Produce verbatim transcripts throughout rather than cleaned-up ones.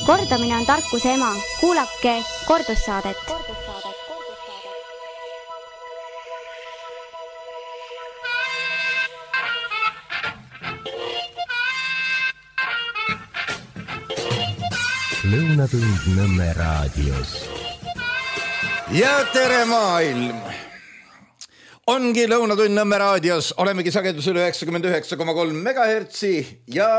Kordamine on tarkuse ema. Kuulake kordussaadet. Lõunatund Nõmme raadios. Ja tere maailm! Ongi Lõunatund Nõmme raadios. Olemegi sagedusel üheksakümmend üheksa koma kolm megahertsi ja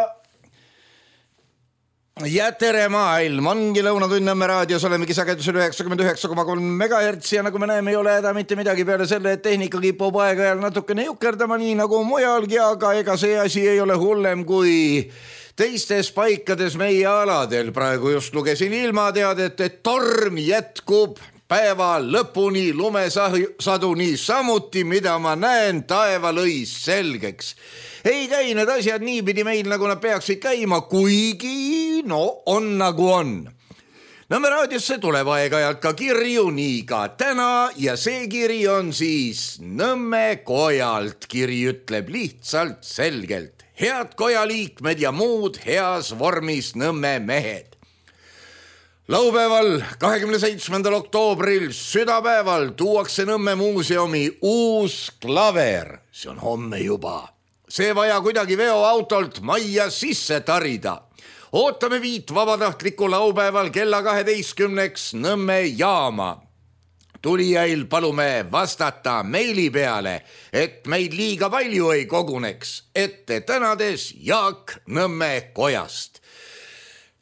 Ja tere maailm, ongi Lõunatund Nõmme raadios, olemegi sagedusel üheksakümmend üheksa koma kolm megahertsi ja nagu me näeme, ei ole häda mitte midagi peale selle, et tehnika kipub aeg-ajal natukene jukerdama nii nagu mujalgi, aga ega see asi ei ole hullem kui teistes paikades meie aladel. Praegu just lugesin ilmateadet, et torm jätkub päeva lõpuni, lumesaduni samuti, mida ma näen, taeva lõis selgeks. Ei käi need asjad niipidi meil, nagu nad peaksid käima, kuigi no on nagu on. Nõmme raadiosse tuleb aeg-ajalt ka kirju, nii ka täna, ja see kiri on siis Nõmme kojalt. Kiri ütleb lihtsalt selgelt: head kojaliikmed ja muud heas vormis Nõmme mehed. Laupäeval, kahekümne seitsmendal oktoobril, südapäeval tuuakse Nõmme muuseumi uus klaver. See on homme juba. See vaja kuidagi veoautolt majja sisse tarida. Ootame viit vabatahtlikku laupäeval kella kaheteistkümneks Nõmme jaama. Tulijail palume vastata meili peale, et meid liiga palju ei koguneks. Ette tänades Jaak Nõmme kojast.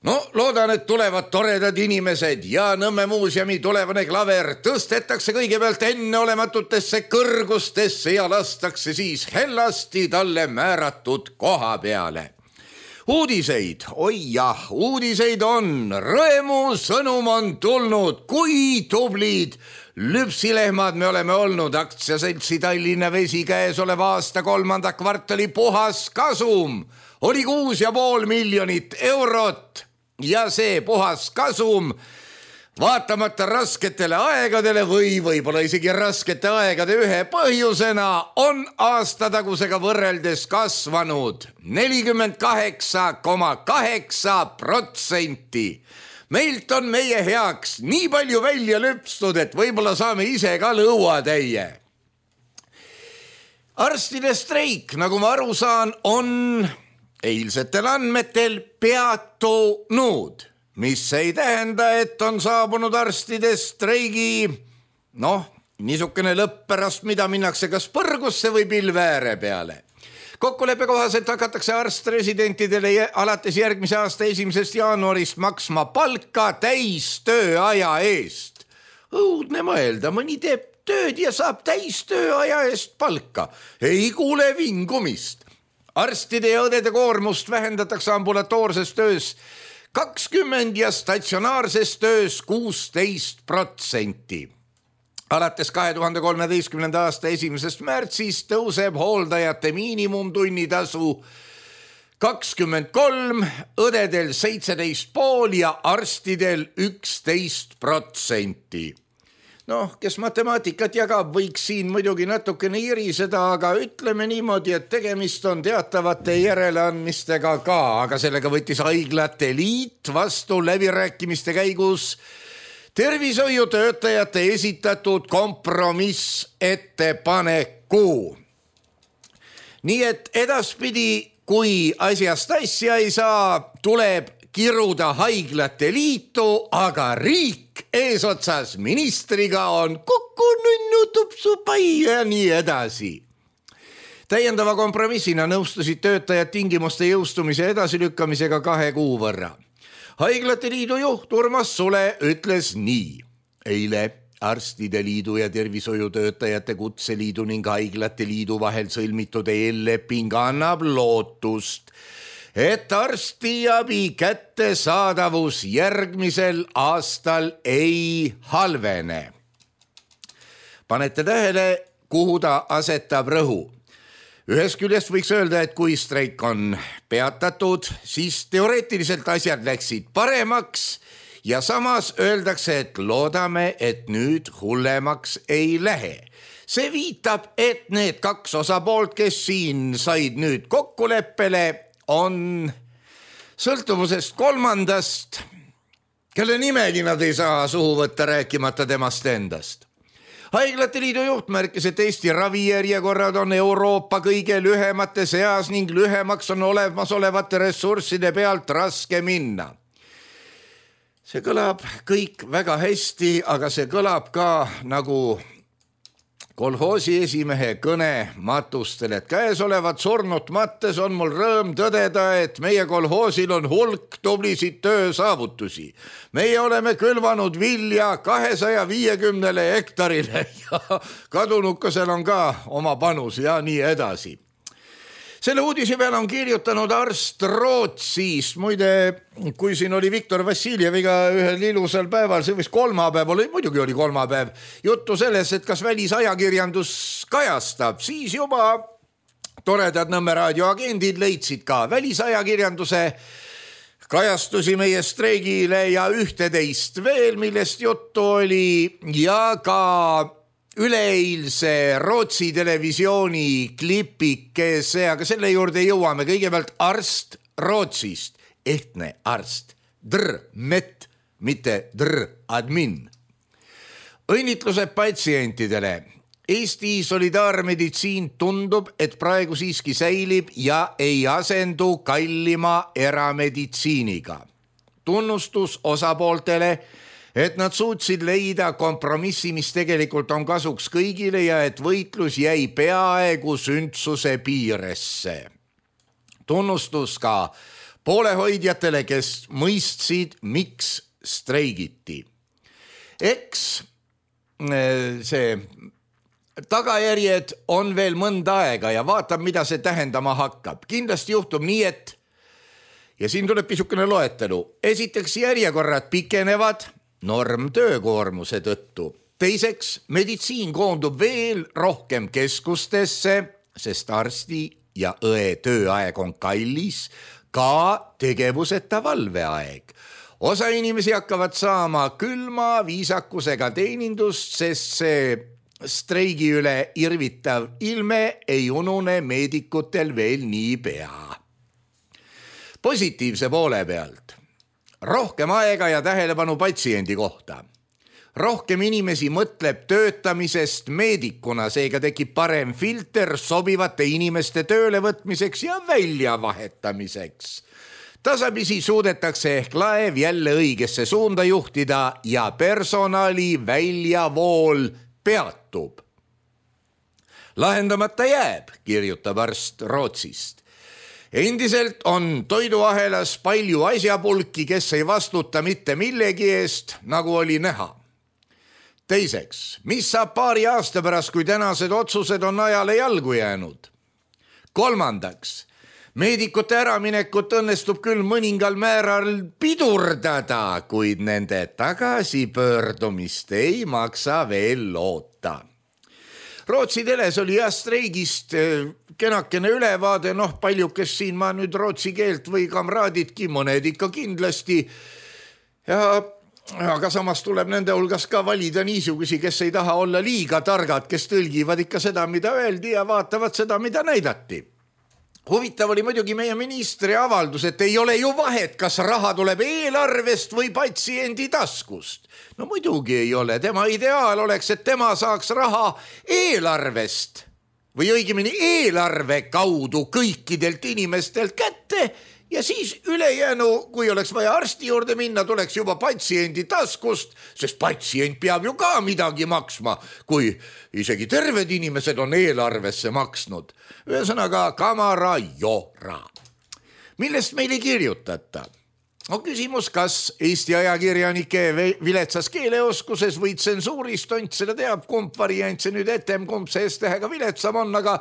No, loodan, et tulevad toredad inimesed ja Nõmme muuseumi tulevane klaver tõstetakse kõigepealt enneolematutesse kõrgustesse ja lastakse siis hellasti talle määratud koha peale. Uudiseid, oi jah, uudiseid on, rõõmu sõnum on tulnud, kui tublid lüpsilehmad me oleme olnud. Aktsiaseltsi Tallinna Vesi käes oleva aasta kolmanda kvartali puhas kasum oli kuus ja pool miljonit eurot. Ja see puhas kasum, vaatamata rasketele aegadele või võib-olla isegi raskete aegade ühe põhjusena, on aastatagusega võrreldes kasvanud nelikümmend kaheksa koma kaheksa protsenti. Meilt on meie heaks nii palju välja lüpstud, et võib-olla saame ise ka lõuatäie. Arstide streik, nagu ma aru saan, on eilsetel andmetel peatunud, mis ei tähenda, et on saabunud arstide streigi, noh, niisugune lõpp pärast, mida minnakse kas põrgusse või pilveääre peale. Kokkuleppe kohaselt hakatakse arstresidentidele alates järgmise aasta esimesest jaanuarist maksma palka täis tööaja eest. Õudne mõelda, mõni teeb tööd ja saab täis tööaja eest palka. Ei kuule vingumist. Arstide ja õdede koormust vähendatakse ambulatoorses töös kakskümmend ja statsionaarses töös kuusteist protsenti. Alates kahe tuhande kolmeteistkümnenda aasta esimesest märtsist tõuseb hooldajate miinimumtunnitasu kakskümmend kolm, õdedel seitseteist pool ja arstidel üksteist protsenti. Noh, kes matemaatikat jagab, võiks siin muidugi natukene iriseda, aga ütleme niimoodi, et tegemist on teatavate järeleandmistega ka, aga sellega võttis Haiglate Liit vastu läbirääkimiste käigus tervishoiutöötajate esitatud kompromiss ettepaneku. Nii et edaspidi, kui asjast asja ei saa, tuleb kiruda Haiglate Liitu, aga riik eesotsas ministriga on kuku nunnu tupsu pai ja nii edasi. Täiendava kompromissina nõustusid töötajad tingimuste jõustumise edasilükkamisega kahe kuu võrra. Haiglate Liidu juht Urmas Sule ütles nii. Eile Arstide Liidu ja Tervishoiutöötajate Kutseliidu ning Haiglate Liidu vahel sõlmitud eelleping annab lootust, et arstiabi kättesaadavus järgmisel aastal ei halvene. Panete tähele, kuhu ta asetab rõhu. Ühest küljest võiks öelda, et kui streik on peatatud, siis teoreetiliselt asjad läksid paremaks ja samas öeldakse, et loodame, et nüüd hullemaks ei lähe. See viitab, et need kaks osapoolt, kes siin said nüüd kokkuleppele, on sõltuvusest kolmandast kelle nimegi nad ei saa suhu võtta, rääkimata temast endast. Haiglate liidu juht märkis, et Eesti ravijärjekorrad on Euroopa kõige lühemate seas ning lühemaks on olemasolevate ressursside pealt raske minna. See kõlab kõik väga hästi, aga see kõlab ka nagu kolhoosi esimehe kõne matustel, et käesolevat surnut mattes on mul rõõm tõdeda, et meie kolhoosil on hulk tublisid töösaavutusi. Meie oleme külvanud vilja kahesaja viiekümnele hektarile ja kadunukasel on ka oma panus ja nii edasi. Selle uudise peale on kirjutanud arst Rootsist. Muide, kui siin oli Viktor Vassiljeviga ühel ilusal päeval, see võis kolmapäev oli, muidugi oli kolmapäev, juttu selles, et kas välisajakirjandus kajastab, siis juba toredad Nõmme raadio agendid leidsid ka välisajakirjanduse kajastusi meie streigile ja ühteteist veel, millest juttu oli, ja ka üleeilse Rootsi televisiooni klipikese, aga selle juurde jõuame. Kõigepealt arst Rootsist, ehtne arst, dr met, mitte dr admin. Õnnitlused patsientidele. Eesti solidaarmeditsiin tundub, et praegu siiski säilib ja ei asendu kallima erameditsiiniga. Tunnustus osapooltele, et nad suutsid leida kompromissi, mis tegelikult on kasuks kõigile ja et võitlus jäi peaaegu sündsuse piiresse. Tunnustus ka poolehoidjatele, kes mõistsid, miks streigiti. Eks see tagajärjed on veel mõnda aega ja vaatab, mida see tähendama hakkab. Kindlasti juhtub nii, et ja siin tuleb pisukene loetelu. Esiteks järjekorrad pikenevad norm töökoormuse tõttu. Teiseks, meditsiin koondub veel rohkem keskustesse, sest arsti ja õe tööaeg on kallis, ka tegevuseta valveaeg. Osa inimesi hakkavad saama külma viisakusega teenindust, sest see streigi üle irvitav ilme ei unune meedikutel veel nii pea. Positiivse poole pealt. Rohkem aega ja tähelepanu patsiendi kohta. Rohkem inimesi mõtleb töötamisest meedikuna, seega tekib parem filter sobivate inimeste tööle võtmiseks ja väljavahetamiseks. Tasapisi suudetakse ehk laev jälle õigesse suunda juhtida ja personali väljavool peatub. Lahendamata jääb, kirjutab arst Rootsist. Endiselt on toiduahelas palju asjapulki, kes ei vastuta mitte millegi eest, nagu oli näha. Teiseks, mis saab paari aasta pärast, kui tänased otsused on ajale jalgu jäänud? Kolmandaks, meedikute äraminekut õnnestub küll mõningal määral pidurdada, kuid nende tagasipöördumist ei maksa veel loota. Rootsi teles oli jah streigist kenakene ülevaade, noh palju, kes siin ma nüüd rootsi keelt või kamraadidki, mõned ikka kindlasti. Ja, aga samas tuleb nende hulgas ka valida niisugusi, kes ei taha olla liiga targad, kes tõlgivad ikka seda, mida öeldi ja vaatavad seda, mida näidati. Huvitav oli muidugi meie ministri avaldus, et ei ole ju vahet, kas raha tuleb eelarvest või patsiendi taskust. No muidugi ei ole, tema ideaal oleks, et tema saaks raha eelarvest või õigemini eelarve kaudu kõikidelt inimestelt kätte ja siis ülejäänu, kui oleks vaja arsti juurde minna, tuleks juba patsiendi taskust, sest patsient peab ju ka midagi maksma, kui isegi terved inimesed on eelarvesse maksnud. Ühesõnaga kamara jora. Millest meile kirjutata? On küsimus, kas Eesti ajakirjanike viletsas keeleoskuses või tsensuurist ont seda teab, kumb variant see nüüd etem, kumb see S-tähega viletsam on, aga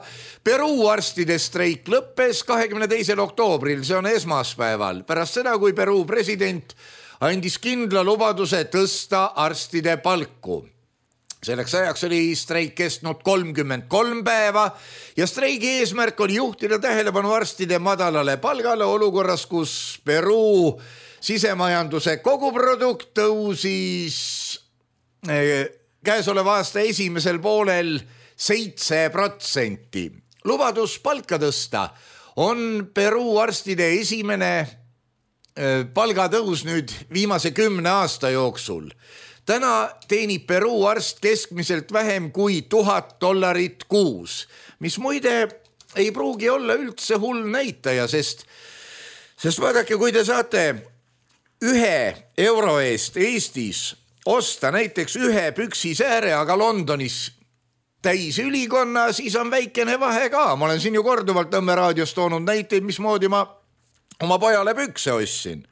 Peruu arstide streik lõppes kahekümne teisel oktoobril, see on esmaspäeval, pärast seda, kui Peruu president andis kindla lubaduse tõsta arstide palku. Selleks ajaks oli streik kestnud kolmkümmend kolm päeva ja streigi eesmärk oli juhtida tähelepanu arstide madalale palgale olukorras, kus Peruu sisemajanduse koguprodukt tõusis käesoleva aasta esimesel poolel seitse protsenti. Lubadus palka tõsta on Peruu arstide esimene palgatõus nüüd viimase kümne aasta jooksul. Täna teenib Peruu arst keskmiselt vähem kui tuhat dollarit kuus, mis muide ei pruugi olla üldse hull näitaja, sest, sest vaadake, kui te saate ühe euro eest Eestis osta näiteks ühe püksisääre, aga Londonis täis ülikonna, siis on väikene vahe ka. Ma olen siin ju korduvalt Nõmme raadios toonud näiteid, mismoodi ma oma pojale pükse ostsin.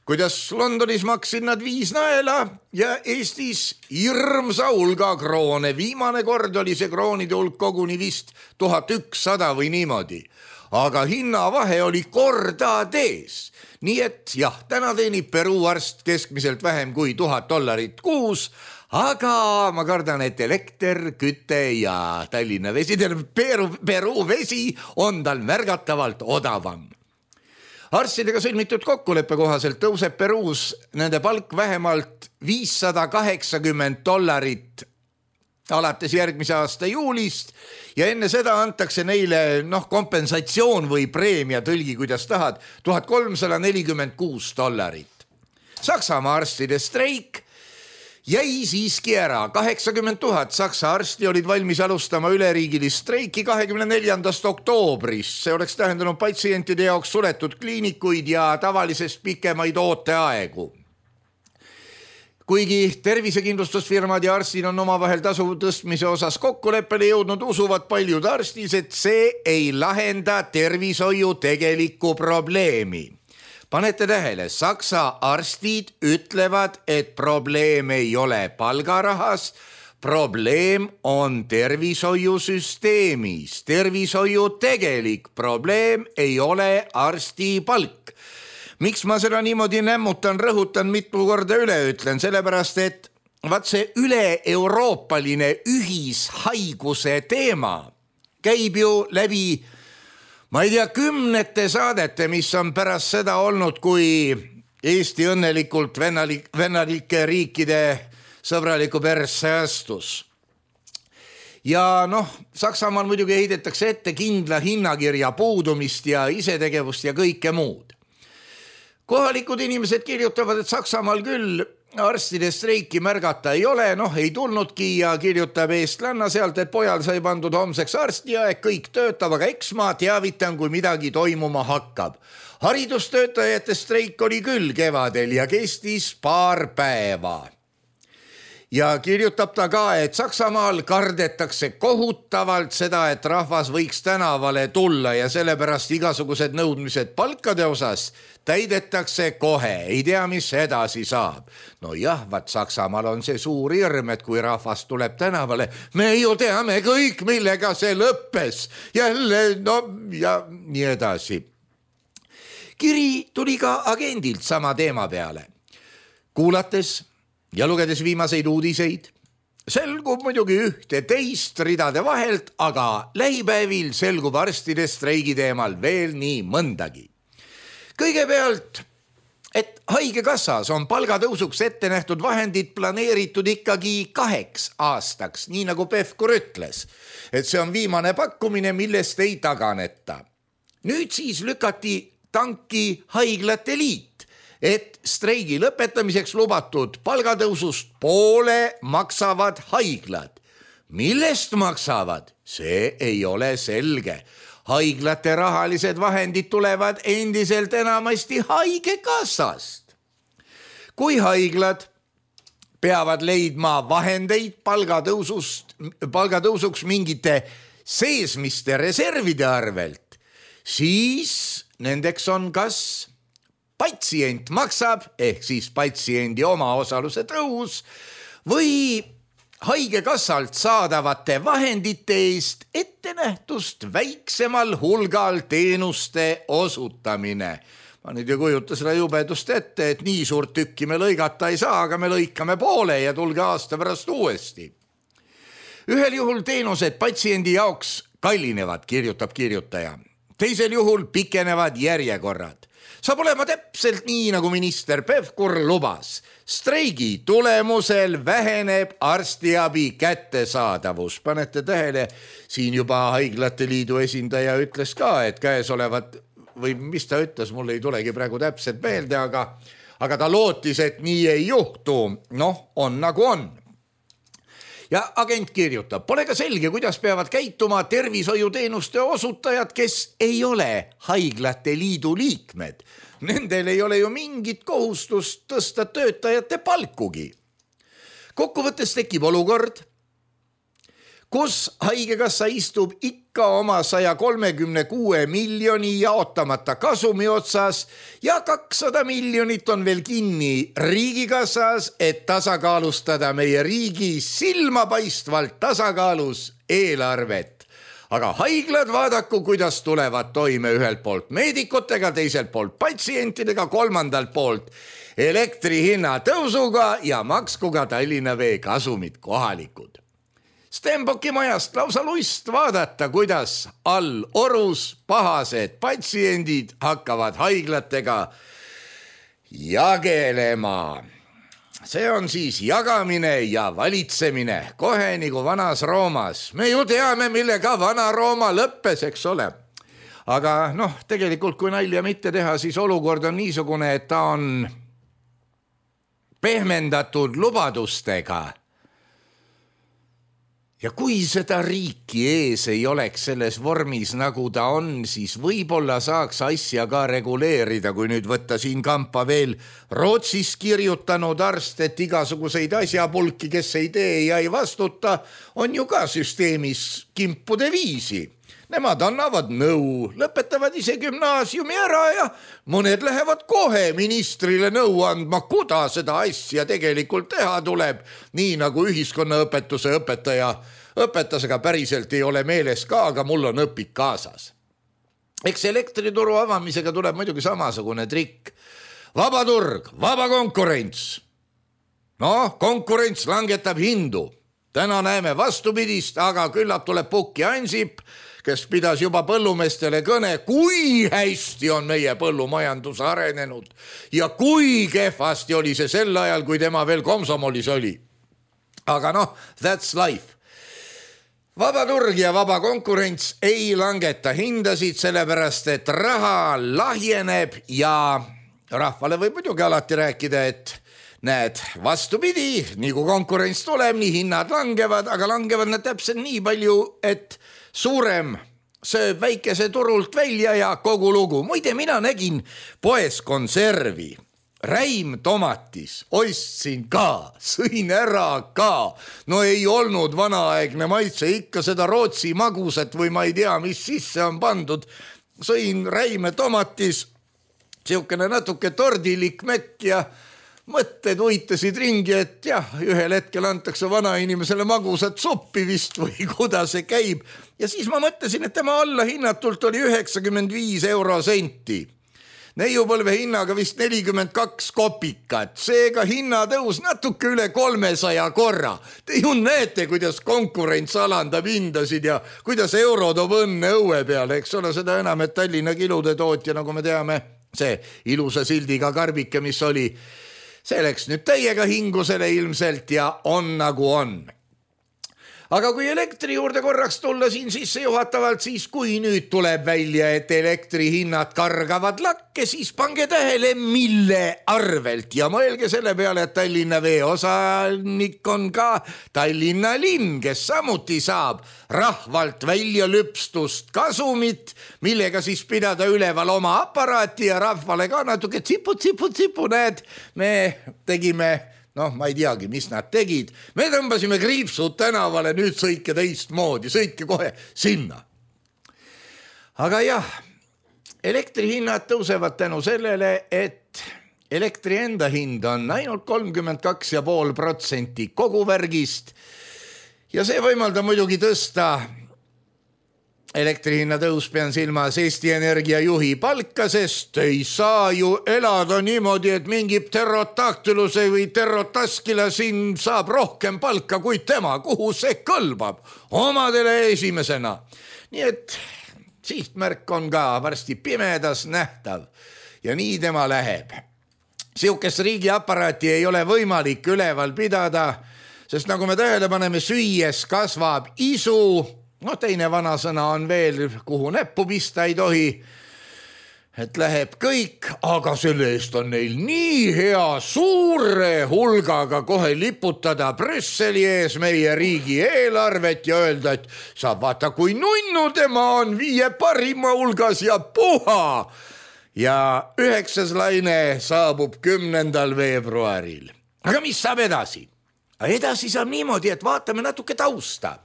Kuidas Londonis maksin nad viis naela ja Eestis hirmsa hulga kroone. Viimane kord oli see kroonide hulk koguni vist tuhat ükssada või niimoodi. Aga hinnavahe oli kordades. Nii et jah, täna teenib Peruu arst keskmiselt vähem kui tuhat dollarit kuus, aga ma kardan, et elekter, küte ja Tallinna vesi, Peruu, Peruu vesi on tal märgatavalt odavam. Arstidega sõlmitud kokkuleppe kohaselt tõuseb Peruus nende palk vähemalt viissada kaheksakümmend dollarit alates järgmise aasta juulist ja enne seda antakse neile noh, kompensatsioon või preemia, tõlgi kuidas tahad, tuhat kolmsada nelikümmend kuus dollarit. Saksamaa arstide streik jäi siiski ära. kaheksakümmend tuhat Saksa arsti olid valmis alustama üleriigilist streiki kahekümne neljandast oktoobrist. See oleks tähendanud patsientide jaoks suletud kliinikuid ja tavalisest pikemaid ooteaegu. Kuigi tervisekindlustusfirmad ja arstid on omavahel tasu tõstmise osas kokkuleppele jõudnud, usuvad paljud arstis, et see ei lahenda tervishoiu tegelikku probleemi. Panete tähele, Saksa arstid ütlevad, et probleem ei ole palgarahas, probleem on tervishoiusüsteemis. Tervishoiu tegelik probleem ei ole arsti palk. Miks ma seda niimoodi nämmutan, rõhutan, mitu korda üle ütlen, sellepärast, et vaat see üle-euroopaline ühishaiguse teema käib ju läbi, ma ei tea, kümnete saadete, mis on pärast seda olnud, kui Eesti õnnelikult vennalike riikide sõbraliku persse astus. Ja noh, Saksamaal muidugi heidetakse ette kindla hinnakirja puudumist ja isetegevust ja kõike muud. Kohalikud inimesed kirjutavad, et Saksamaal küll arstide streiki märgata ei ole, noh ei tulnudki ja kirjutab eestlanna sealt, et pojal sai pandud homseks arstiaeg, kõik töötab, aga eks ma teavitan, kui midagi toimuma hakkab. Haridustöötajate streik oli küll kevadel ja kestis paar päeva. Ja kirjutab ta ka, et Saksamaal kardetakse kohutavalt seda, et rahvas võiks tänavale tulla ja sellepärast igasugused nõudmised palkade osas täidetakse kohe, ei tea, mis edasi saab. No jah, vaat Saksamaal on see suur hirm, et kui rahvas tuleb tänavale, me ju teame kõik, millega see lõppes. Jälle, no ja nii edasi. Kiri tuli ka agendilt sama teema peale. Kuulates ja lugedes viimaseid uudiseid, selgub muidugi ühte teist ridade vahelt, aga lähipäevil selgub arstide streigi teemal veel nii mõndagi. Kõigepealt, et haigekassas on palgatõusuks ette nähtud vahendid planeeritud ikkagi kaheks aastaks, nii nagu Pevkur ütles, et see on viimane pakkumine, millest ei taganeta. Nüüd siis lükati tanki haiglate liit, et streigi lõpetamiseks lubatud palgatõusust poole maksavad haiglad. Millest maksavad? See ei ole selge. Haiglate rahalised vahendid tulevad endiselt enamasti haigekassast. Kui haiglad peavad leidma vahendeid palgatõusust, palgatõusuks mingite seesmiste reservide arvelt, siis nendeks on kas patsient maksab, ehk siis patsiendi omaosaluse tõus, või haigekassalt saadavate vahendite eest ettenähtust väiksemal hulgal teenuste osutamine. Ma nüüd ei kujuta seda jubedust ette, et nii suurt tükki me lõigata ei saa, aga me lõikame poole ja tulge aasta pärast uuesti. Ühel juhul teenused patsiendi jaoks kallinevad, kirjutab kirjutaja. Teisel juhul pikenevad järjekorrad. Saab olema täpselt nii, nagu minister Pevkur lubas. Streigi tulemusel väheneb arstiabi kättesaadavus. Panete tähele, siin juba Haiglate Liidu esindaja ütles ka, et käesolevat või mis ta ütles, mul ei tulegi praegu täpselt meelde, aga, aga ta lootis, et nii ei juhtu. Noh, on nagu on. Ja agent kirjutab, pole ka selge, kuidas peavad käituma tervishoiuteenuste osutajad, kes ei ole haiglate liidu liikmed. Nendel ei ole ju mingit kohustust tõsta töötajate palkugi. Kokkuvõttes tekib olukord, kus haigekassa istub ikka oma saja kolmekümne kuue miljoni jaotamata kasumi otsas ja kakssada miljonit on veel kinni riigikassas, et tasakaalustada meie riigi silmapaistvalt tasakaalus eelarvet. Aga haiglad vaadaku, kuidas tulevad toime ühelt poolt meedikutega, teiselt poolt patsientidega, kolmandalt poolt elektri hinna tõusuga ja maksku ka Tallinna Vee kasumid kohalikud. Stenbocki majast lausa lust vaadata, kuidas all orus pahased patsiendid hakkavad haiglatega jagelema. See on siis jagamine ja valitsemine, kohe nagu vanas Roomas. Me ju teame, millega vana Rooma lõppes, eks ole. Aga noh, tegelikult kui nalja mitte teha, siis olukord on niisugune, et ta on pehmendatud lubadustega. Ja kui seda riiki ees ei oleks selles vormis, nagu ta on, siis võib-olla saaks asja ka reguleerida, kui nüüd võtta siin kampa veel Rootsis kirjutanud arst, et igasuguseid asjapulki, kes ei tee ja ei vastuta, on ju ka süsteemis kimpude viisi. Nemad annavad nõu, lõpetavad ise gümnaasiumi ära ja mõned lähevad kohe ministrile nõu andma, kuda seda asja tegelikult teha tuleb, nii nagu ühiskonnaõpetuse õpetaja õpetas, aga päriselt ei ole meeles ka, aga mul on õpik kaasas. Eks elektrituru avamisega tuleb muidugi samasugune trikk. Vaba turg, vaba konkurents. No, konkurents langetab hindu. Täna näeme vastupidist, aga küllap tuleb Pukki Ansip, kes pidas juba põllumeestele kõne, kui hästi on meie põllumajandus arenenud ja kui kehvasti oli see sel ajal, kui tema veel komsomolis oli. Aga noh, that's life. Vaba turg ja vaba konkurents ei langeta hindasid, sellepärast et raha lahjeneb ja rahvale võib muidugi alati rääkida, et näed, vastupidi, nii kui konkurents tuleb, nii hinnad langevad, aga langevad nad täpselt nii palju, et suurem sööb väikese turult välja ja kogu lugu. Muide, mina nägin poes konservi, räim tomatis, ostsin ka, sõin ära ka. No ei olnud vanaaegne maitse, ikka seda Rootsi magusat või ma ei tea, mis sisse on pandud. Sõin räime tomatis, siukene natuke tordilik mekk ja mõtted uitasid ringi, et jah, ühel hetkel antakse vanainimesele magusat suppi vist või kuda see käib. Ja siis ma mõtlesin, et tema alla hinnatult oli üheksakümmend viis euro senti. Neiupõlve hinnaga vist nelikümmend kaks kopikat, seega hinnatõus natuke üle kolmesaja korra. Te ju näete, kuidas konkurents alandab hindasid ja kuidas euro toob õnne õue peale, eks ole, seda enam, et Tallinna kilude tootja, nagu me teame, see ilusa sildiga karbike, mis oli, see läks nüüd täiega hingusele ilmselt ja on nagu on. Aga kui elektri juurde korraks tulla siin sisse juhatavalt, siis kui nüüd tuleb välja, et elektri hinnad kargavad lakke, siis pange tähele, mille arvelt ja mõelge selle peale, et Tallinna Vee osanik on ka Tallinna linn, kes samuti saab rahvalt välja lüpstust kasumit, millega siis pidada üleval oma aparaati ja rahvale ka natuke tsipu, tsipu, tsipu, näed, me tegime noh, ma ei teagi, mis nad tegid. Me tõmbasime kriipsud tänavale, nüüd sõitke teist moodi, sõitke kohe sinna. Aga jah, elektrihinnad tõusevad tänu sellele, et elektri enda hind on ainult kolmkümmend kaks ja pool protsenti kogu värgist ja see võimaldab muidugi tõsta elektrihinna tõus, pean silmas Eesti Energia juhi palka, sest ei saa ju elada niimoodi, et mingi pterodaktyluse või pterotaskila siin saab rohkem palka kui tema, kuhu see kõlbab omadele esimesena. Nii et sihtmärk on ka varsti pimedas nähtav ja nii tema läheb. Siukest riigi aparaati ei ole võimalik üleval pidada, sest nagu me tähele paneme, süües kasvab isu. No teine vanasõna on veel, kuhu näppu pista ei tohi. et läheb kõik, aga selle eest on neil nii hea suure hulgaga kohe liputada Brüsseli ees meie riigi eelarvet ja öelda, et sa vaata, kui nunnu tema on viie parima hulgas ja puha. Ja üheksas laine saabub kümnendal veebruaril. Aga mis saab edasi? Edasi saab niimoodi, et vaatame natuke tausta.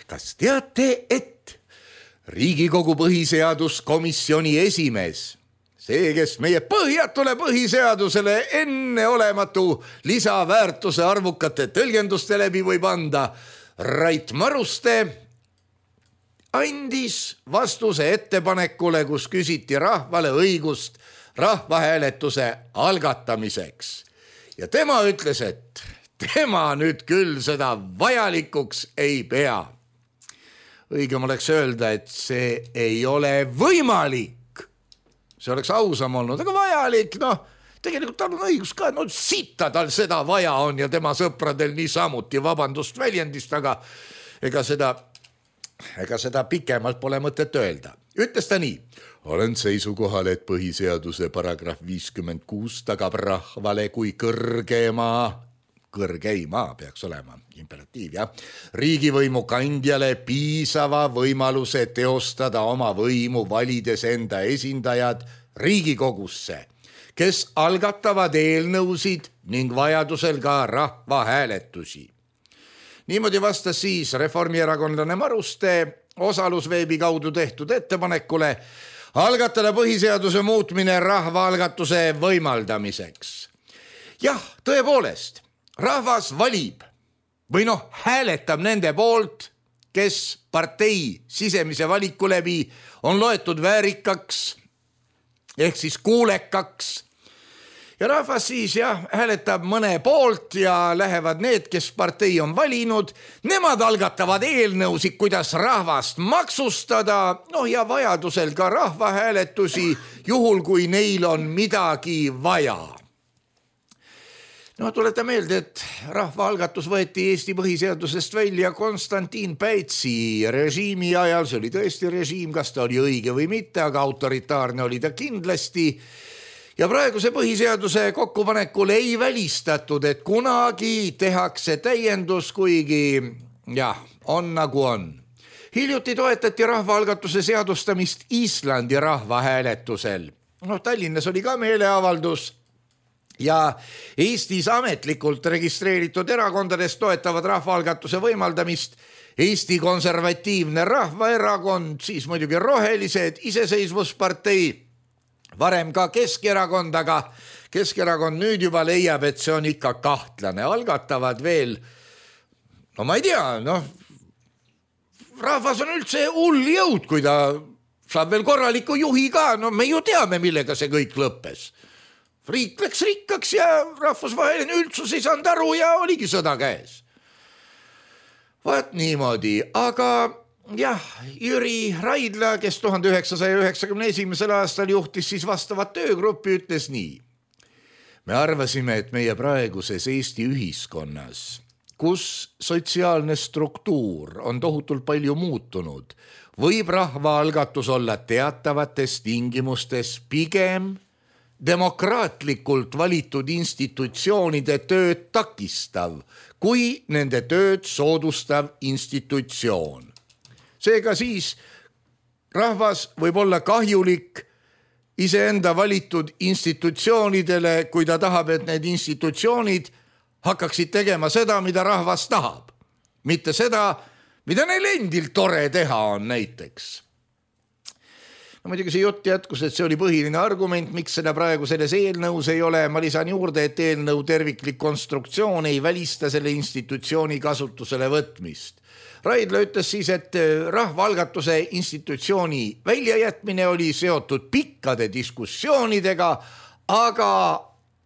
Kas teate, et Riigikogu põhiseaduskomisjoni esimees, see, kes meie põhjatule põhiseadusele enneolematu lisaväärtuse arvukate tõlgenduste läbi võib anda, Rait Maruste, andis vastuse ettepanekule, kus küsiti rahvale õigust rahvahääletuse algatamiseks. Ja tema ütles, et tema nüüd küll seda vajalikuks ei pea. Õigem oleks öelda, et see ei ole võimalik. See oleks ausam olnud, aga vajalik, noh, tegelikult tal on õigus ka, no sitta tal seda vaja on ja tema sõpradel nii samuti, vabandust väljendist, aga ega seda, ega seda pikemalt pole mõtet öelda. Ütles ta nii, olen seisukohal, et põhiseaduse paragrahv viiskümmend kuus tagab rahvale kui kõrgema kõrgeima peaks olema, imperatiiv, jah, riigivõimu kandjale piisava võimaluse teostada oma võimu valides enda esindajad Riigikogusse, kes algatavad eelnõusid ning vajadusel ka rahvahääletusi. Niimoodi vastas siis reformierakondlane Maruste osalusveebi kaudu tehtud ettepanekule algatada põhiseaduse muutmine rahvaalgatuse võimaldamiseks. Jah, tõepoolest, rahvas valib või noh, hääletab nende poolt, kes partei sisemise valiku läbi on loetud väärikaks ehk siis kuulekaks. Ja rahvas siis jah, hääletab mõne poolt ja lähevad need, kes partei on valinud. Nemad algatavad eelnõusid, kuidas rahvast maksustada, noh ja vajadusel ka rahvahääletusi, juhul kui neil on midagi vaja. No tuleta meelde, et rahvaalgatus võeti Eesti põhiseadusest välja Konstantin Päitsi režiimi ajal. See oli tõesti režiim, kas ta oli õige või mitte, aga autoritaarne oli ta kindlasti. Ja praeguse põhiseaduse kokkupanekul ei välistatud, et kunagi tehakse täiendus, kuigi jah, on nagu on. Hiljuti toetati rahvaalgatuse seadustamist Islandi rahvahääletusel. No, Tallinnas oli ka meeleavaldus. Ja Eestis ametlikult registreeritud erakondadest toetavad rahvaalgatuse võimaldamist Eesti Konservatiivne Rahvaerakond, siis muidugi Rohelised, Iseseisvuspartei, varem ka Keskerakond, aga Keskerakond nüüd juba leiab, et see on ikka kahtlane. Algatavad veel, no ma ei tea, noh, rahvas on üldse hull jõud, kui ta saab veel korraliku juhi ka, no me ju teame, millega see kõik lõppes. Riik läks rikkaks ja rahvusvaheline üldsus ei saanud aru ja oligi sõda käes. Vaat niimoodi, aga jah, Jüri Raidla, kes tuhande üheksasaja üheksakümne esimesel aastal juhtis siis vastavat töögruppi, ütles nii. Me arvasime, et meie praeguses Eesti ühiskonnas, kus sotsiaalne struktuur on tohutult palju muutunud, võib rahvaalgatus olla teatavates tingimustes pigem demokraatlikult valitud institutsioonide tööd takistav, kui nende tööd soodustav institutsioon. Seega siis rahvas võib olla kahjulik iseenda valitud institutsioonidele, kui ta tahab, et need institutsioonid hakkaksid tegema seda, mida rahvas tahab. Mitte seda, mida neil endil tore teha on näiteks. No, muidugi see jutt jätkus, et see oli põhiline argument, miks seda praegu selles eelnõus ei ole. Ma lisan juurde, et eelnõu terviklik konstruktsioon ei välista selle institutsiooni kasutusele võtmist. Raidla ütles siis, et rahvaalgatuse institutsiooni väljajätmine oli seotud pikkade diskussioonidega, aga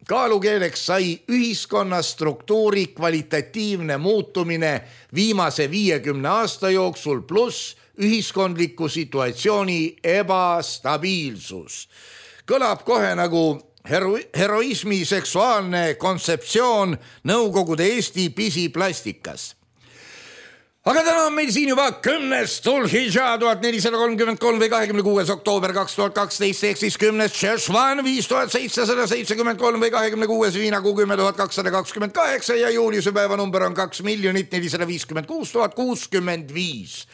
kaalukeeleks sai ühiskonna struktuuri kvalitatiivne muutumine viimase viiekümne aasta jooksul pluss ühiskondliku situatsiooni ebastabiilsus. Kõlab kohe nagu hero heroismi seksuaalne kontseptsioon Nõukogude Eesti pisiplastikas. aga täna on meil siin juba kümnes Dhul-Hijjah tuhat nelisada kolmkümmend kolm või kahekümne kuues oktoober kaks tuhat kaksteist ehk siis kümnes Sheshvan viis tuhat seitsesada seitsekümmend kolm või kahekümne kuues Viinakuu kümme tuhat kakssada kakskümmend kaheksa ja juuliuse päeva number on kaks miljonit nelisada viiskümmend kuus tuhat kuuskümmend viis.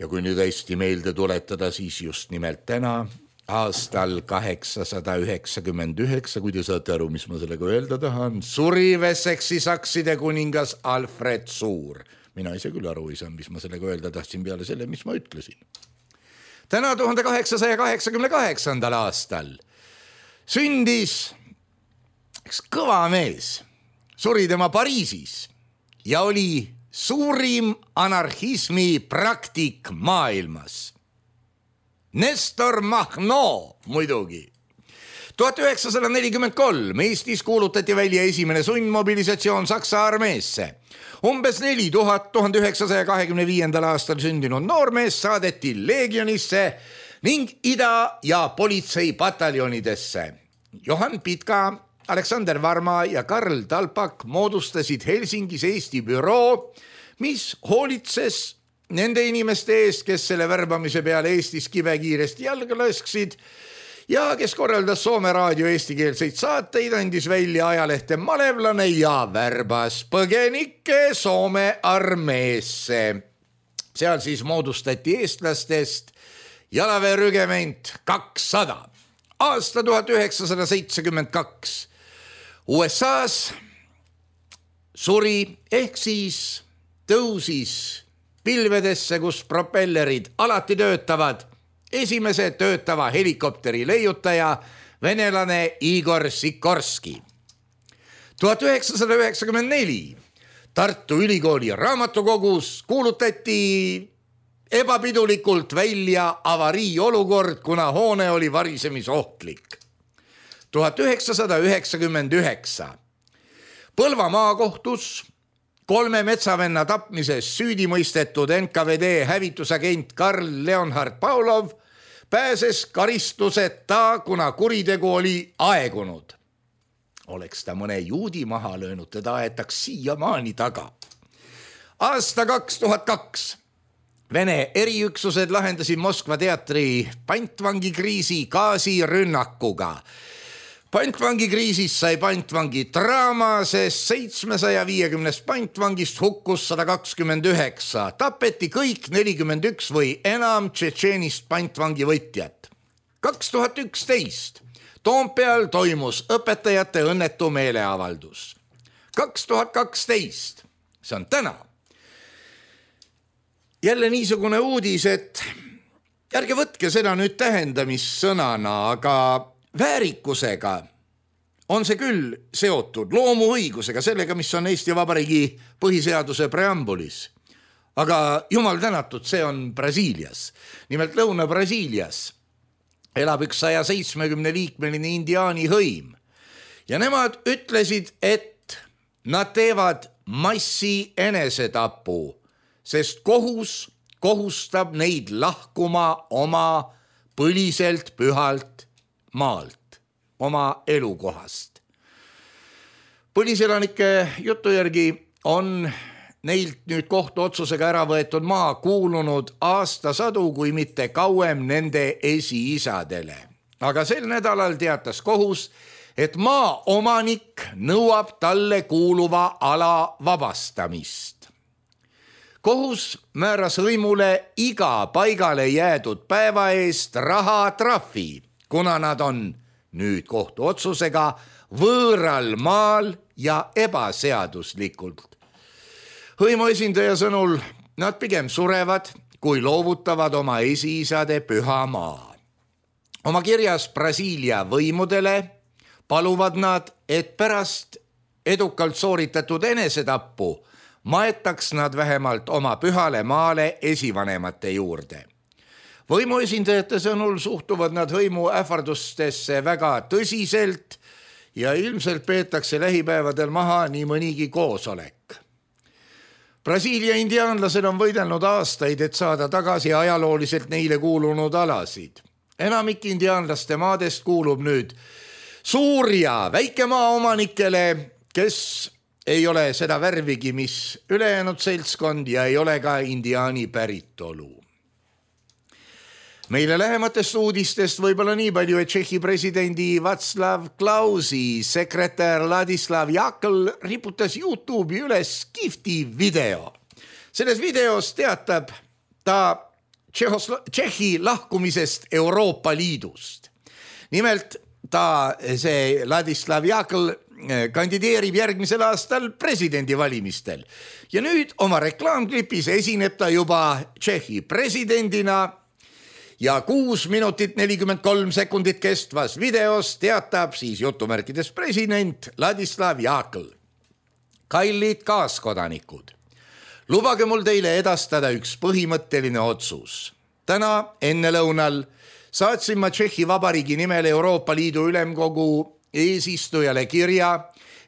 Ja kui nüüd hästi meelde tuletada, siis just nimelt täna aastal kaheksasada üheksakümmend üheksa, kui te saate aru, mis ma sellega öelda tahan, suri Wessexi sakside kuningas Alfred Suur. Mina ise küll aru ei saa, mis ma sellega öelda tahtsin peale selle, mis ma ütlesin. Täna tuhande kaheksasaja kaheksakümne kaheksandal aastal sündis üks kõva mees, suri tema Pariisis ja oli suurim anarhismi praktik maailmas. Nestor Makhno muidugi. tuhat üheksasada nelikümmend kolm Eestis kuulutati välja esimene sundmobilisatsioon Saksa armeesse. Umbes neli tuhat tuhande üheksasaja kahekümne viiendal aastal sündinud noormees saadeti leegionisse ning ida- ja politseipataljonidesse. Johan Pitka, Aleksander Varma ja Karl Talpak moodustasid Helsingis Eesti büroo, mis hoolitses nende inimeste eest, kes selle värbamise peale Eestis kibekiiresti jalga lasksid ja kes korraldas Soome raadio eestikeelseid saateid, andis välja ajalehte Malevlane ja värbas põgenikke Soome armeesse. Seal siis moodustati eestlastest jalaväerügement kakssada. Aasta tuhat üheksasada seitsekümmend kaks. U S A-s suri ehk siis tõusis pilvedesse, kus propellerid alati töötavad, esimese töötava helikopteri leiutaja, venelane Igor Sikorski. tuhat üheksasada üheksakümmend neli Tartu Ülikooli raamatukogus kuulutati ebapidulikult välja avariiolukord, kuna hoone oli varisemisohtlik. tuhat üheksasada üheksakümmend üheksa Põlva maakohtus kolme metsavenna tapmises süüdi mõistetud N K V D hävitusagent Karl Leonhard Paulov pääses karistuseta, kuna kuritegu oli aegunud. Oleks ta mõne juudi maha löönud, teda aetaks siiamaani taga. Aasta kaks tuhat kaks Vene eriüksused lahendasid Moskva teatri pantvangikriisi gaasirünnakuga. Pantvangikriisis sai pantvangi draama, sest seitsmesaja viiekümnest pantvangist hukkus sada kakskümmend üheksa. Tapeti kõik nelikümmend üks või enam tšetšeenist pantvangi võtjat. kaks tuhat üksteist Toompeal toimus õpetajate õnnetu meeleavaldus. kaks tuhat kaksteist see on täna. Jälle niisugune uudis, et ärge võtke seda nüüd tähendamissõnana, aga väärikusega on see küll seotud, loomuõigusega, sellega, mis on Eesti Vabariigi põhiseaduse preambulis. Aga jumal tänatud, see on Brasiilias. Nimelt Lõuna-Brasiilias elab üks saja seitsmekümne liikmeline indiaani hõim. Ja nemad ütlesid, et nad teevad massi enesetapu, sest kohus kohustab neid lahkuma oma põliselt pühalt maalt, oma elukohast. Põliselanike jutu järgi on neilt nüüd kohtuotsusega ära võetud maa kuulunud aastasadu, kui mitte kauem nende esiisadele. Aga sel nädalal teatas kohus, et maa omanik nõuab talle kuuluva ala vabastamist. Kohus määras hõimule iga paigale jäädud päeva eest rahatrahvi, kuna nad on nüüd kohtuotsusega võõral maal ja ebaseaduslikult. Hõimu esindaja sõnul nad pigem surevad, kui loovutavad oma esiisade püha maa. Oma kirjas Brasiilia võimudele paluvad nad, et pärast edukalt sooritatud enesetappu maetaks nad vähemalt oma pühale maale esivanemate juurde. Võimu esindajate sõnul suhtuvad nad hõimu ähvardustesse väga tõsiselt ja ilmselt peetakse lähipäevadel maha nii mõnigi koosolek. Brasiilia indiaanlased on võidelnud aastaid, et saada tagasi ajalooliselt neile kuulunud alasid. Enamik indiaanlaste maadest kuulub nüüd suur- ja väikemaaomanikele, kes ei ole seda värvigi, mis ülejäänud seltskond ja ei ole ka indiaani päritolu. Meile lähematest uudistest võib-olla nii palju, et Tšehhi presidendi Václav Klausi sekretär Ladislav Jakl riputas YouTube'i üles kihvti video. Selles videos teatab ta Tšehhi lahkumisest Euroopa Liidust. Nimelt ta, see Ladislav Jakl, kandideerib järgmisel aastal presidendivalimistel. Ja nüüd oma reklaamklipis esineb ta juba Tšehhi presidendina ja kuus minutit nelikümmend kolm sekundit kestvas videos teatab siis jutumärkides president Ladislav Jakl. Kallid kaaskodanikud, lubage mul teile edastada üks põhimõtteline otsus. Täna enne lõunal saatsin ma Tšehhi Vabariigi nimel Euroopa Liidu Ülemkogu eesistujale kirja,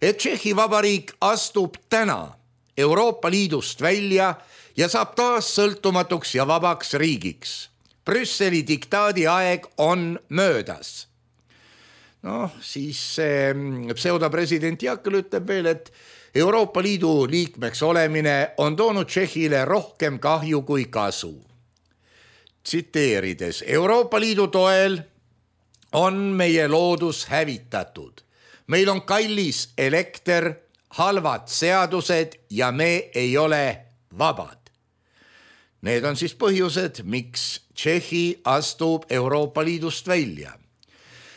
et Tšehhi Vabariik astub täna Euroopa Liidust välja ja saab taas sõltumatuks ja vabaks riigiks. Brüsseli diktaadi aeg on möödas. No siis see pseudopresident Jakl ütleb veel, et Euroopa Liidu liikmeks olemine on toonud Tšehhile rohkem kahju kui kasu. Tsiteerides, Euroopa Liidu toel on meie loodus hävitatud. Meil on kallis elekter, halvad seadused ja me ei ole vabad. Need on siis põhjused, miks Tšehhi astub Euroopa Liidust välja.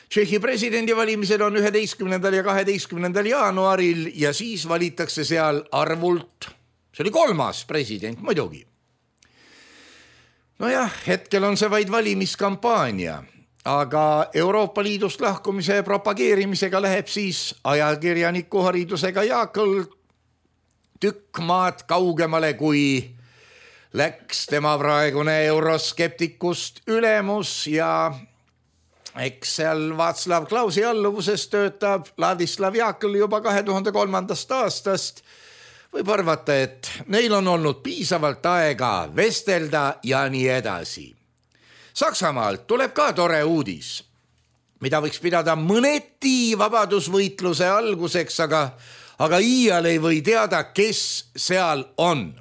Tšehhi presidendivalimisel on üheteistkümnendal ja kaheteistkümnendal jaanuaril ja siis valitakse seal arvult, see oli kolmas president muidugi. Nojah, hetkel on see vaid valimiskampaania, aga Euroopa Liidust lahkumise propageerimisega läheb siis ajakirjaniku haridusega Jakl tükk maad kaugemale, kui läks tema praegune euroskeptikust ülemus ja eks seal Václav Klausi alluvuses töötab Ladislav Jakl juba kahe tuhande kolmandast aastast. Võib arvata, et neil on olnud piisavalt aega vestelda ja nii edasi. Saksamaalt tuleb ka tore uudis, mida võiks pidada mõneti vabadusvõitluse alguseks, aga, aga iial ei või teada, kes seal on.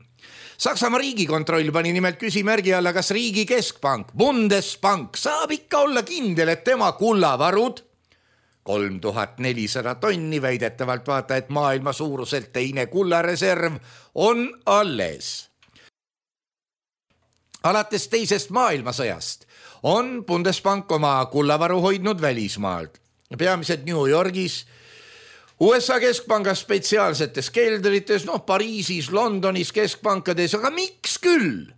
Saksamaa riigikontroll pani nimelt küsimärgi alla, kas riigi keskpank, Bundesbank, saab ikka olla kindel, et tema kullavarud, kolm tuhat nelisada tonni väidetavalt vaata, et maailma suuruselt teine kullareserv on alles. Alates teisest maailmasõjast on Bundesbank oma kullavaru hoidnud välismaalt, peamiselt New Yorgis, U S A keskpangas spetsiaalsetes keldrites, noh Pariisis, Londonis keskpankades, aga miks küll?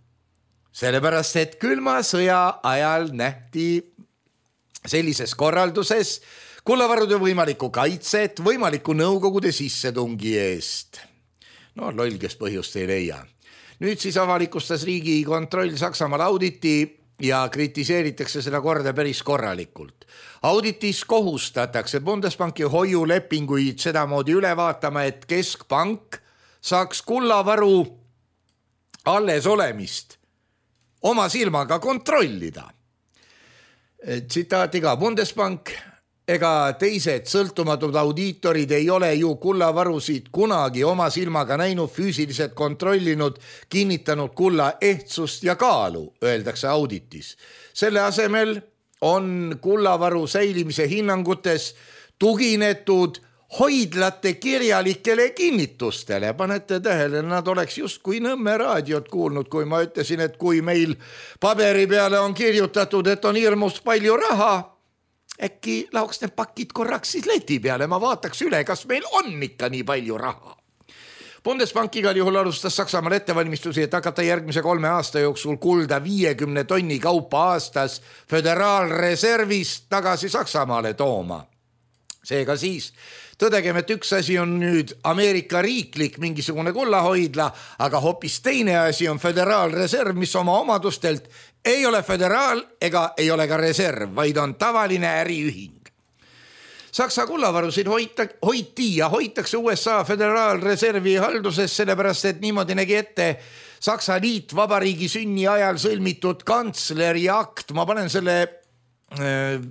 Sellepärast, et külma sõja ajal nähti sellises korralduses kullavarude võimalikku kaitset võimaliku nõukogude sissetungi eest. No loll, kes põhjust ei leia. Nüüd siis avalikustas riigikontroll Saksamaal auditi ja kritiseeritakse seda korda päris korralikult. Auditis kohustatakse Bundesbanki hoiulepinguid sedamoodi üle vaatama, et keskpank saaks kullavaru alles olemist oma silmaga kontrollida. Tsitaati ka, Bundesbank ega teised sõltumatud audiitorid ei ole ju kullavarusid kunagi oma silmaga näinud, füüsiliselt kontrollinud, kinnitanud kulla ehtsust ja kaalu, öeldakse auditis. Selle asemel on kullavaru säilimise hinnangutes tuginetud hoidlate kirjalikele kinnitustele. Panete tähele, nad oleks just kui Nõmme raadiot kuulnud, kui ma ütlesin, et kui meil paberi peale on kirjutatud, et on hirmus palju raha, äkki lauks need pakid korraks siis leti peale, ma vaataks üle, kas meil on ikka nii palju raha. Bundesbank igal juhul alustas Saksamaal ettevalmistusi, et hakata järgmise kolme aasta jooksul kulda viiekümne tonni kaupa aastas föderaalreservist tagasi Saksamaale tooma. Seega siis tõdegem, et üks asi on nüüd Ameerika riiklik mingisugune kullahoidla, aga hoopis teine asi on föderaalreserv, mis oma omadustelt ei ole föderaal ega ei ole ka reserv, vaid on tavaline äriühing. Saksa kullavarusid hoita, hoiti ja hoitakse U S A föderaalreservi halduses, sellepärast et niimoodi nägi ette Saksa liitvabariigi sünni ajal sõlmitud kantsleri akt. Ma panen selle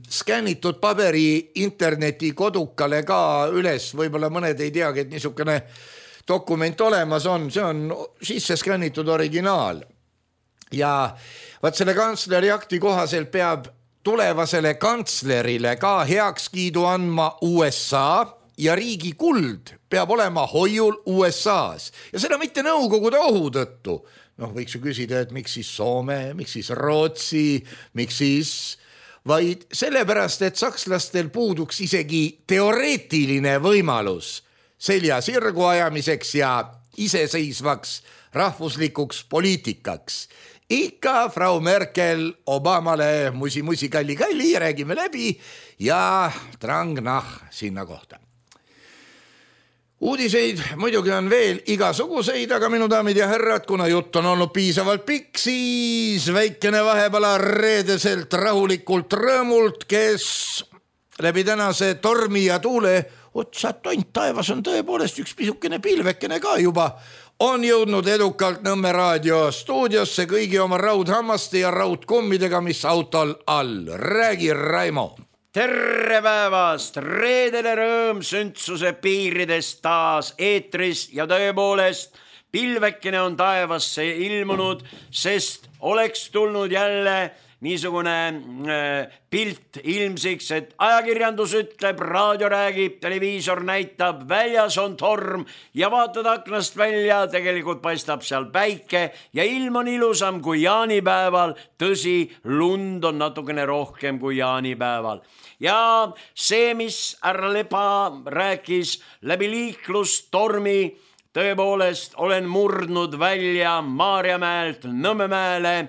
skännitud paberi interneti kodukale ka üles, võib-olla mõned ei teagi, et niisugune dokument olemas on, see on sisse skännitud originaal. Ja vaat selle kantsleri akti kohaselt peab tulevasele kantslerile ka heakskiidu andma U S A ja riigi kuld peab olema hoiul U S A-s ja seda mitte Nõukogude ohu tõttu. Noh, võiks ju küsida, et miks siis Soome, miks siis Rootsi, miks siis, vaid sellepärast, et sakslastel puuduks isegi teoreetiline võimalus selja sirgu ajamiseks ja iseseisvaks rahvuslikuks poliitikaks. Ikka Frau Merkel Obamale musi-musi kalli-kalli, räägime läbi ja trang-nah sinna kohta. Uudiseid muidugi on veel igasuguseid, aga minu daamid ja härrad, kuna jutt on olnud piisavalt pikk, siis väikene vahepala reedeselt rahulikult rõõmult, kes läbi tänase tormi ja tuule, otsa tont taevas on tõepoolest üks pisukene pilvekene ka juba, on jõudnud edukalt Nõmme raadio stuudiosse kõigi oma raudhammaste ja raudkummidega, mis autol all. Räägi, Raimo! Terve päevast, reedele rõõm sündsuse piiridest taas eetris ja tõepoolest pilvekene on taevasse ilmunud, sest oleks tulnud jälle niisugune äh, pilt ilmsiks, et ajakirjandus ütleb, raadio räägib, televiisor näitab, väljas on torm ja vaatad aknast välja, tegelikult paistab seal päike ja ilm on ilusam kui jaanipäeval, tõsi, lund on natukene rohkem kui jaanipäeval. Ja see, mis härra Lepa rääkis läbi liiklustormi, tõepoolest olen murdnud välja Maarjamäelt Nõmmemäele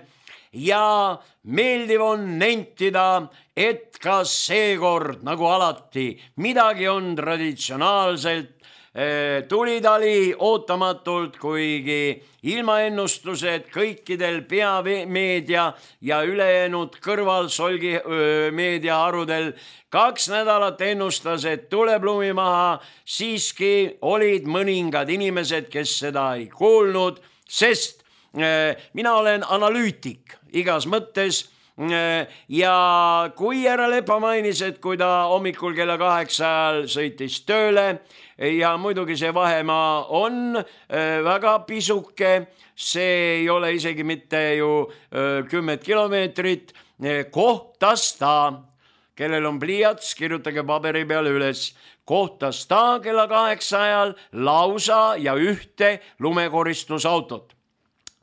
ja meeldiv on nentida, et ka seekord, nagu alati, midagi on traditsionaalselt, tulitali ootamatult, kuigi ilmaennustused kõikidel peameedia ja ülejäänud kõrvalsolgi meediaharudel kaks nädalat ennustas, et tuleb lumi maha, siiski olid mõningad inimesed, kes seda ei kuulnud, sest mina olen analüütik igas mõttes ja kui härra Lepa mainis, et kui ta hommikul kella kaheksa ajal sõitis tööle ja muidugi see vahemaa on väga pisuke, see ei ole isegi mitte ju kümmet kilomeetrit, kohtas ta, kellel on pliiats, kirjutage paberi peale üles, kohtas ta kella kaheksa ajal lausa ja ühte lumekoristusautot.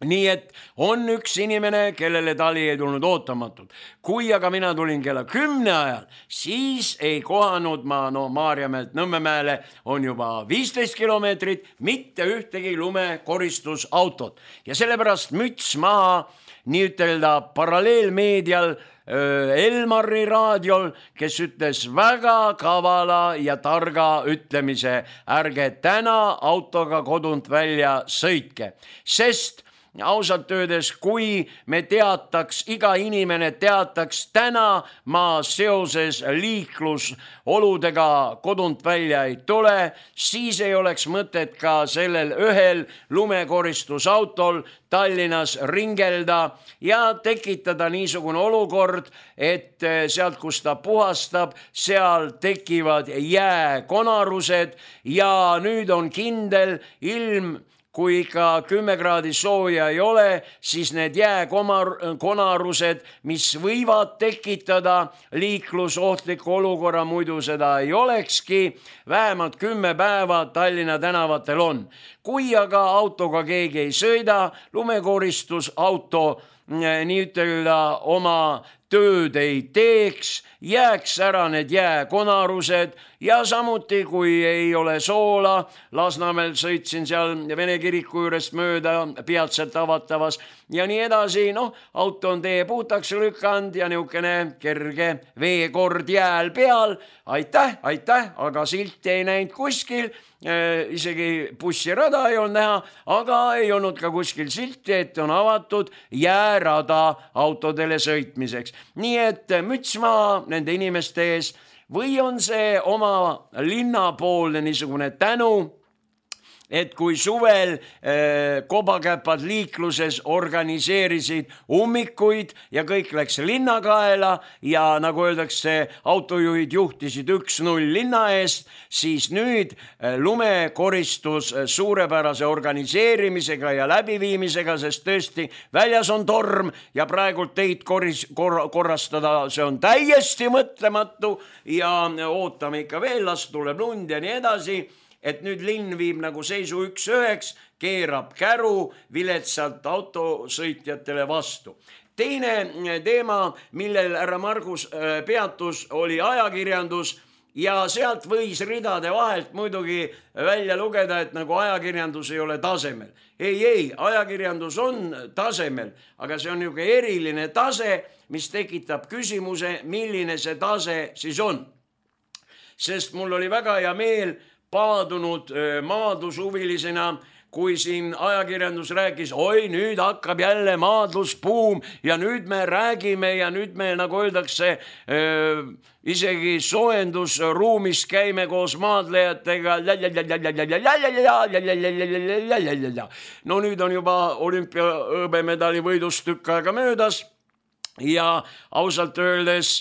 Nii et on üks inimene, kellele tali ei tulnud ootamatult. Kui aga mina tulin kella kümne ajal, siis ei kohanud ma, no Maarjamäelt Nõmmemäele on juba viisteist kilomeetrit, mitte ühtegi lumekoristusautot. Ja sellepärast müts maha nii ütelda paralleelmeedial Elmari raadiol, kes ütles väga kavala ja targa ütlemise, ärge täna autoga kodunt välja sõitke, sest ausalt öeldes, kui me teataks, iga inimene teataks täna ma seoses liiklusoludega kodunt välja ei tule, siis ei oleks mõtet ka sellel ühel lumekoristusautol Tallinnas ringelda ja tekitada niisugune olukord, et sealt, kus ta puhastab, seal tekivad jääkonarused ja nüüd on kindel ilm, kui ikka kümme kraadi sooja ei ole, siis need jääkonarused, mis võivad tekitada liiklusohtliku olukorra, muidu seda ei olekski, vähemalt kümme päeva Tallinna tänavatel on. Kui aga autoga keegi ei sõida, lumekoristusauto nii ütelda oma tööd ei teeks, jääks ära need jääkonarused ja samuti, kui ei ole soola, Lasnamäel sõitsin seal Vene kiriku juurest mööda peatselt avatavas ja nii edasi, noh, auto on tee puhtaks lükanud ja niukene kerge veekord jääl peal, aitäh, aitäh, aga silti ei näinud kuskil, isegi bussirada ei olnud näha, aga ei olnud ka kuskil silti, et on avatud jäärada autodele sõitmiseks. Nii et müts maha nende inimeste ees või on see oma linnapoolne niisugune tänu, et kui suvel eh, kobakäpad liikluses organiseerisid ummikuid ja kõik läks linnakaela ja nagu öeldakse, autojuhid juhtisid üks null linna eest, siis nüüd eh, lumekoristus suurepärase organiseerimisega ja läbiviimisega, sest tõesti väljas on torm ja praegult teid korris, kor, korrastada, see on täiesti mõtlematu ja ootame ikka veel, las tuleb lund ja nii edasi, et nüüd linn viib nagu seisu üks üheks, keerab käru viletsalt autosõitjatele vastu. Teine teema, millel härra Margus peatus, oli ajakirjandus ja sealt võis ridade vahelt muidugi välja lugeda, et nagu ajakirjandus ei ole tasemel. Ei, ei, ajakirjandus on tasemel, aga see on niisugune eriline tase, mis tekitab küsimuse, milline see tase siis on. Sest mul oli väga hea meel paadunud maadlushuvilisena, kui siin ajakirjandus rääkis, oi, nüüd hakkab jälle maadlusbuum ja nüüd me räägime ja nüüd me, nagu öeldakse, isegi soojendusruumis käime koos maadlejatega. No nüüd on juba olümpia hõbemedali võidust tükk aega möödas ja ausalt öeldes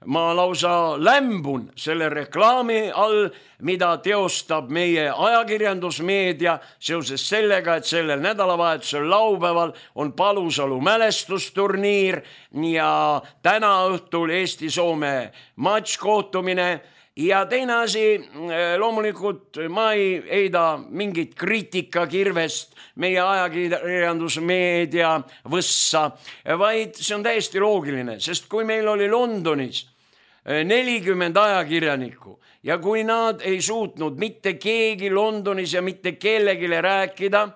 ma lausa lämbun selle reklaami all, mida teostab meie ajakirjandusmeedia seoses sellega, et sellel nädalavahetusel laupäeval on Palusalu mälestusturniir ja täna õhtul Eesti-Soome matškohtumine. Ja teine asi, loomulikult ma ei heida mingit kriitikakirvest meie ajakirjandusmeedia võssa, vaid see on täiesti loogiline, sest kui meil oli Londonis nelikümmend ajakirjanikku ja kui nad ei suutnud mitte keegi Londonis ja mitte kellegile rääkida,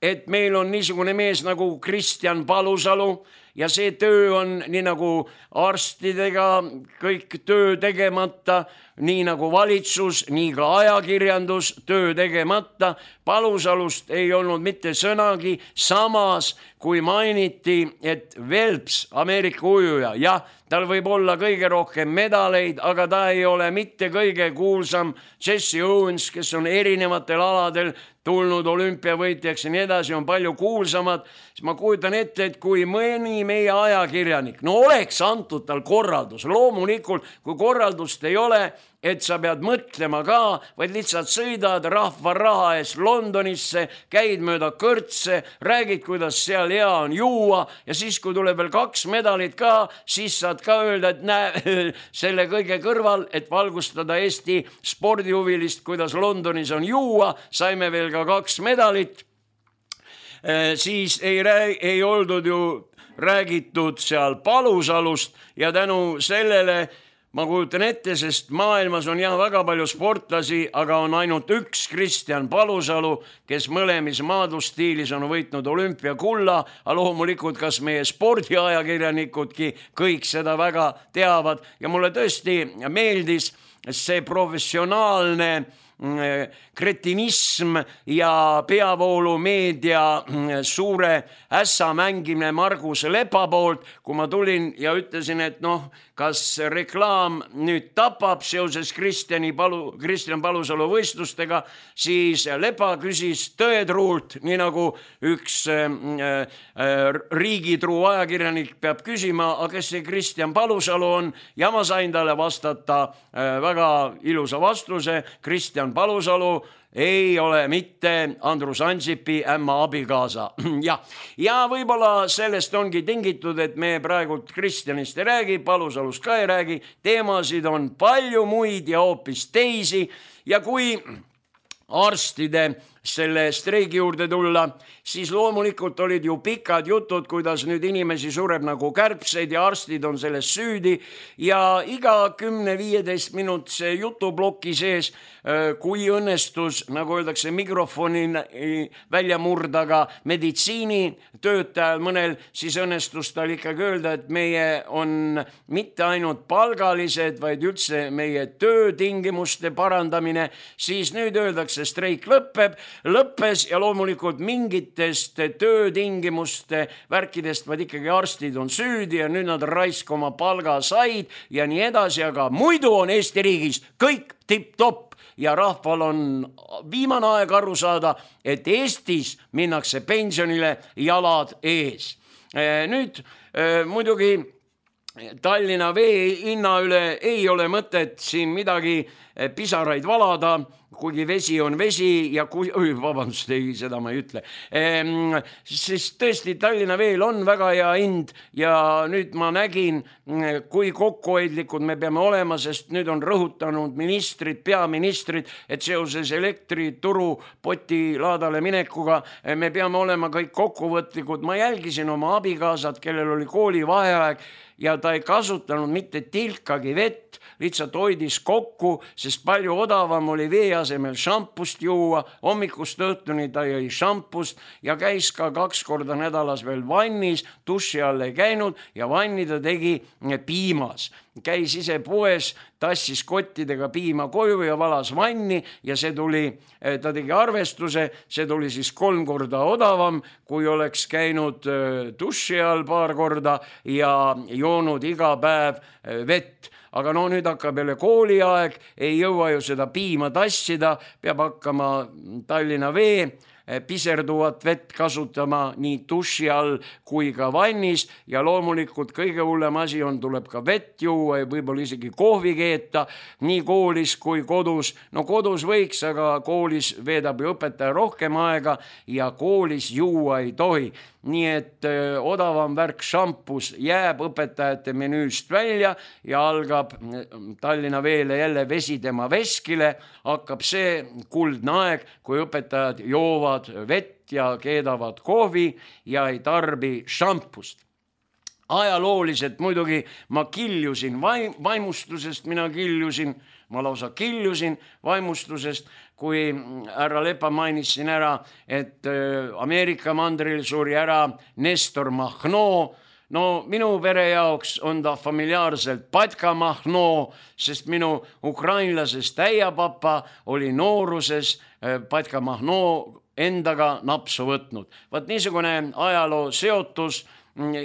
et meil on niisugune mees nagu Kristjan Palusalu ja see töö on nii nagu arstidega kõik töö tegemata, nii nagu valitsus, nii ka ajakirjandus töö tegemata. Palusalust ei olnud mitte sõnagi, samas kui mainiti, et Phelps, Ameerika ujuja, jah, tal võib olla kõige rohkem medaleid, aga ta ei ole mitte kõige kuulsam. Jesse Owens, kes on erinevatel aladel tulnud olümpiavõitjaks ja nii edasi, on palju kuulsamad, siis ma kujutan ette, et kui mõni meie ajakirjanik, no oleks antud tal korraldus, loomulikult, kui korraldust ei ole, et sa pead mõtlema ka, vaid lihtsalt sõidad rahva raha eest Londonisse, käid mööda kõrtse, räägid, kuidas seal hea on juua ja siis, kui tuleb veel kaks medalit ka, siis saad ka öelda, et näe selle kõige kõrval, et valgustada Eesti spordihuvilist, kuidas Londonis on juua, saime veel ka kaks medalit, siis ei, rääg, ei oldud ju räägitud seal Palusalust ja tänu sellele ma kujutan ette, sest maailmas on jah väga palju sportlasi, aga on ainult üks Kristjan Palusalu, kes mõlemis maadlusstiilis on võitnud olümpiakulla, aga loomulikult kas meie spordiajakirjanikudki kõik seda väga teavad ja mulle tõesti meeldis see professionaalne kretinism ja peavoolumeedia suure ässa mängimine Margus Lepa poolt, kui ma tulin ja ütlesin, et noh, kas reklaam nüüd tapab seoses Kristjani Palu, Kristjan Palusalu võistlustega, siis Lepa küsis tõetruult, nii nagu üks äh, äh, riigitruu ajakirjanik peab küsima, aga kes see Kristjan Palusalu on, ja ma sain talle vastata äh, väga ilusa vastuse. Kristjan Palusalu ei ole mitte Andrus Ansipi ämma abikaasa. ja, ja võib-olla sellest ongi tingitud, et me praegult Kristjanist ei räägi, Palusalust ka ei räägi, teemasid on palju muid ja hoopis teisi ja kui arstide selle streigi juurde tulla, siis loomulikult olid ju pikad jutud, kuidas nüüd inimesi sureb nagu kärbseid ja arstid on selles süüdi ja iga kümne viieteist minutise jutuploki sees, kui õnnestus, nagu öeldakse, mikrofoni välja murdaga meditsiinitöötajal mõnel, siis õnnestus tal ikkagi öelda, et meie on mitte ainult palgalised, vaid üldse meie töötingimuste parandamine, siis nüüd öeldakse, streik lõpeb lõppes ja loomulikult mingitest töötingimuste värkidest, vaid ikkagi arstid on süüdi ja nüüd nad raisk oma palga said ja nii edasi, aga muidu on Eesti riigis kõik tipp-topp ja rahval on viimane aeg aru saada, et Eestis minnakse pensionile jalad ees. Nüüd muidugi Tallinna vee hinna üle ei ole mõtet siin midagi pisaraid valada, kuigi vesi on vesi ja kui, öö, vabandust, ei, seda ma ei ütle. Ehm, siis tõesti Tallinna veel on väga hea hind ja nüüd ma nägin, kui kokkuhoidlikud me peame olema, sest nüüd on rõhutanud ministrid, peaministrid, et seoses elektrituru poti laadale minekuga me peame olema kõik kokkuvõtlikud. Ma jälgisin oma abikaasat, kellel oli kooli vaheaeg ja ta ei kasutanud mitte tilkagi vett, lihtsalt hoidis kokku, sest palju odavam oli vee asemel šampust juua, hommikust õhtuni ta jõi šampust ja käis ka kaks korda nädalas veel vannis, duši all ei käinud ja vanni ta tegi piimas. Käis ise poes, tassis kottidega piima koju ja valas vanni ja see tuli, ta tegi arvestuse, see tuli siis kolm korda odavam, kui oleks käinud duši all paar korda ja joonud iga päev vett. Aga no nüüd hakkab jälle kooliaeg, ei jõua ju seda piima tassida, peab hakkama Tallinna vee piserduvat vett kasutama nii duši all kui ka vannis ja loomulikult kõige hullem asi on, tuleb ka vett juua ja võib-olla isegi kohvi keeta nii koolis kui kodus. No kodus võiks, aga koolis veedab ju õpetaja rohkem aega ja koolis juua ei tohi. Nii et öö, odavam värk šampus jääb õpetajate menüüst välja ja algab Tallinna veele jälle vesi tema veskile, hakkab see kuldne aeg, kui õpetajad joovad vett ja keedavad kohvi ja ei tarbi šampust. Ajalooliselt muidugi ma kiljusin vaimustusest, mina kiljusin, ma lausa kiljusin vaimustusest, kui härra Lepa mainis siin ära, et Ameerika mandril suri ära Nestor Mahno. No minu pere jaoks on ta familiaarselt Patka Mahno, sest minu ukrainlasest äiapapa oli nooruses Patka Mahno endaga napsu võtnud. Vaat niisugune ajaloo seotus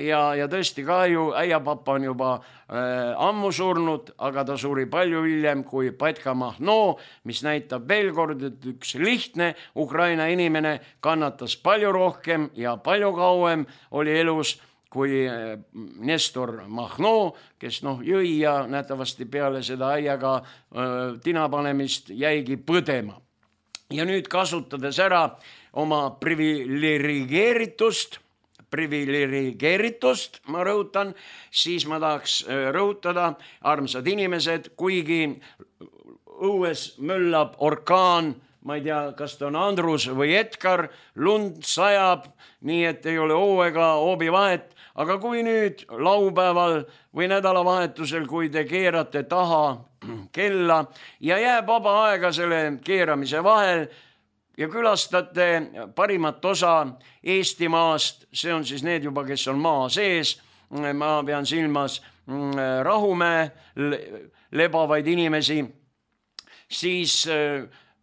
ja, ja tõesti kahju, äiapapa on juba äh, ammu surnud, aga ta suri palju hiljem kui Patka Mahno, mis näitab veel kord, et üks lihtne Ukraina inimene kannatas palju rohkem ja palju kauem oli elus kui Nestor Mahno, kes noh, jõi ja nähtavasti peale seda äiaga äh, tinapanemist jäigi põdema. Ja nüüd kasutades ära oma privilegeeritust, privilegeeritust, ma rõhutan, siis ma tahaks rõhutada, armsad inimesed, kuigi õues möllab orkaan, ma ei tea, kas ta on Andrus või Edgar, lund sajab, nii et ei ole oo ega hoobi vahet, aga kui nüüd laupäeval või nädalavahetusel, kui te keerate taha kella ja jääb vaba aega selle keeramise vahel ja külastate parimat osa Eestimaast, see on siis need juba, kes on maa sees, ma pean silmas Rahumäe lebavaid inimesi, siis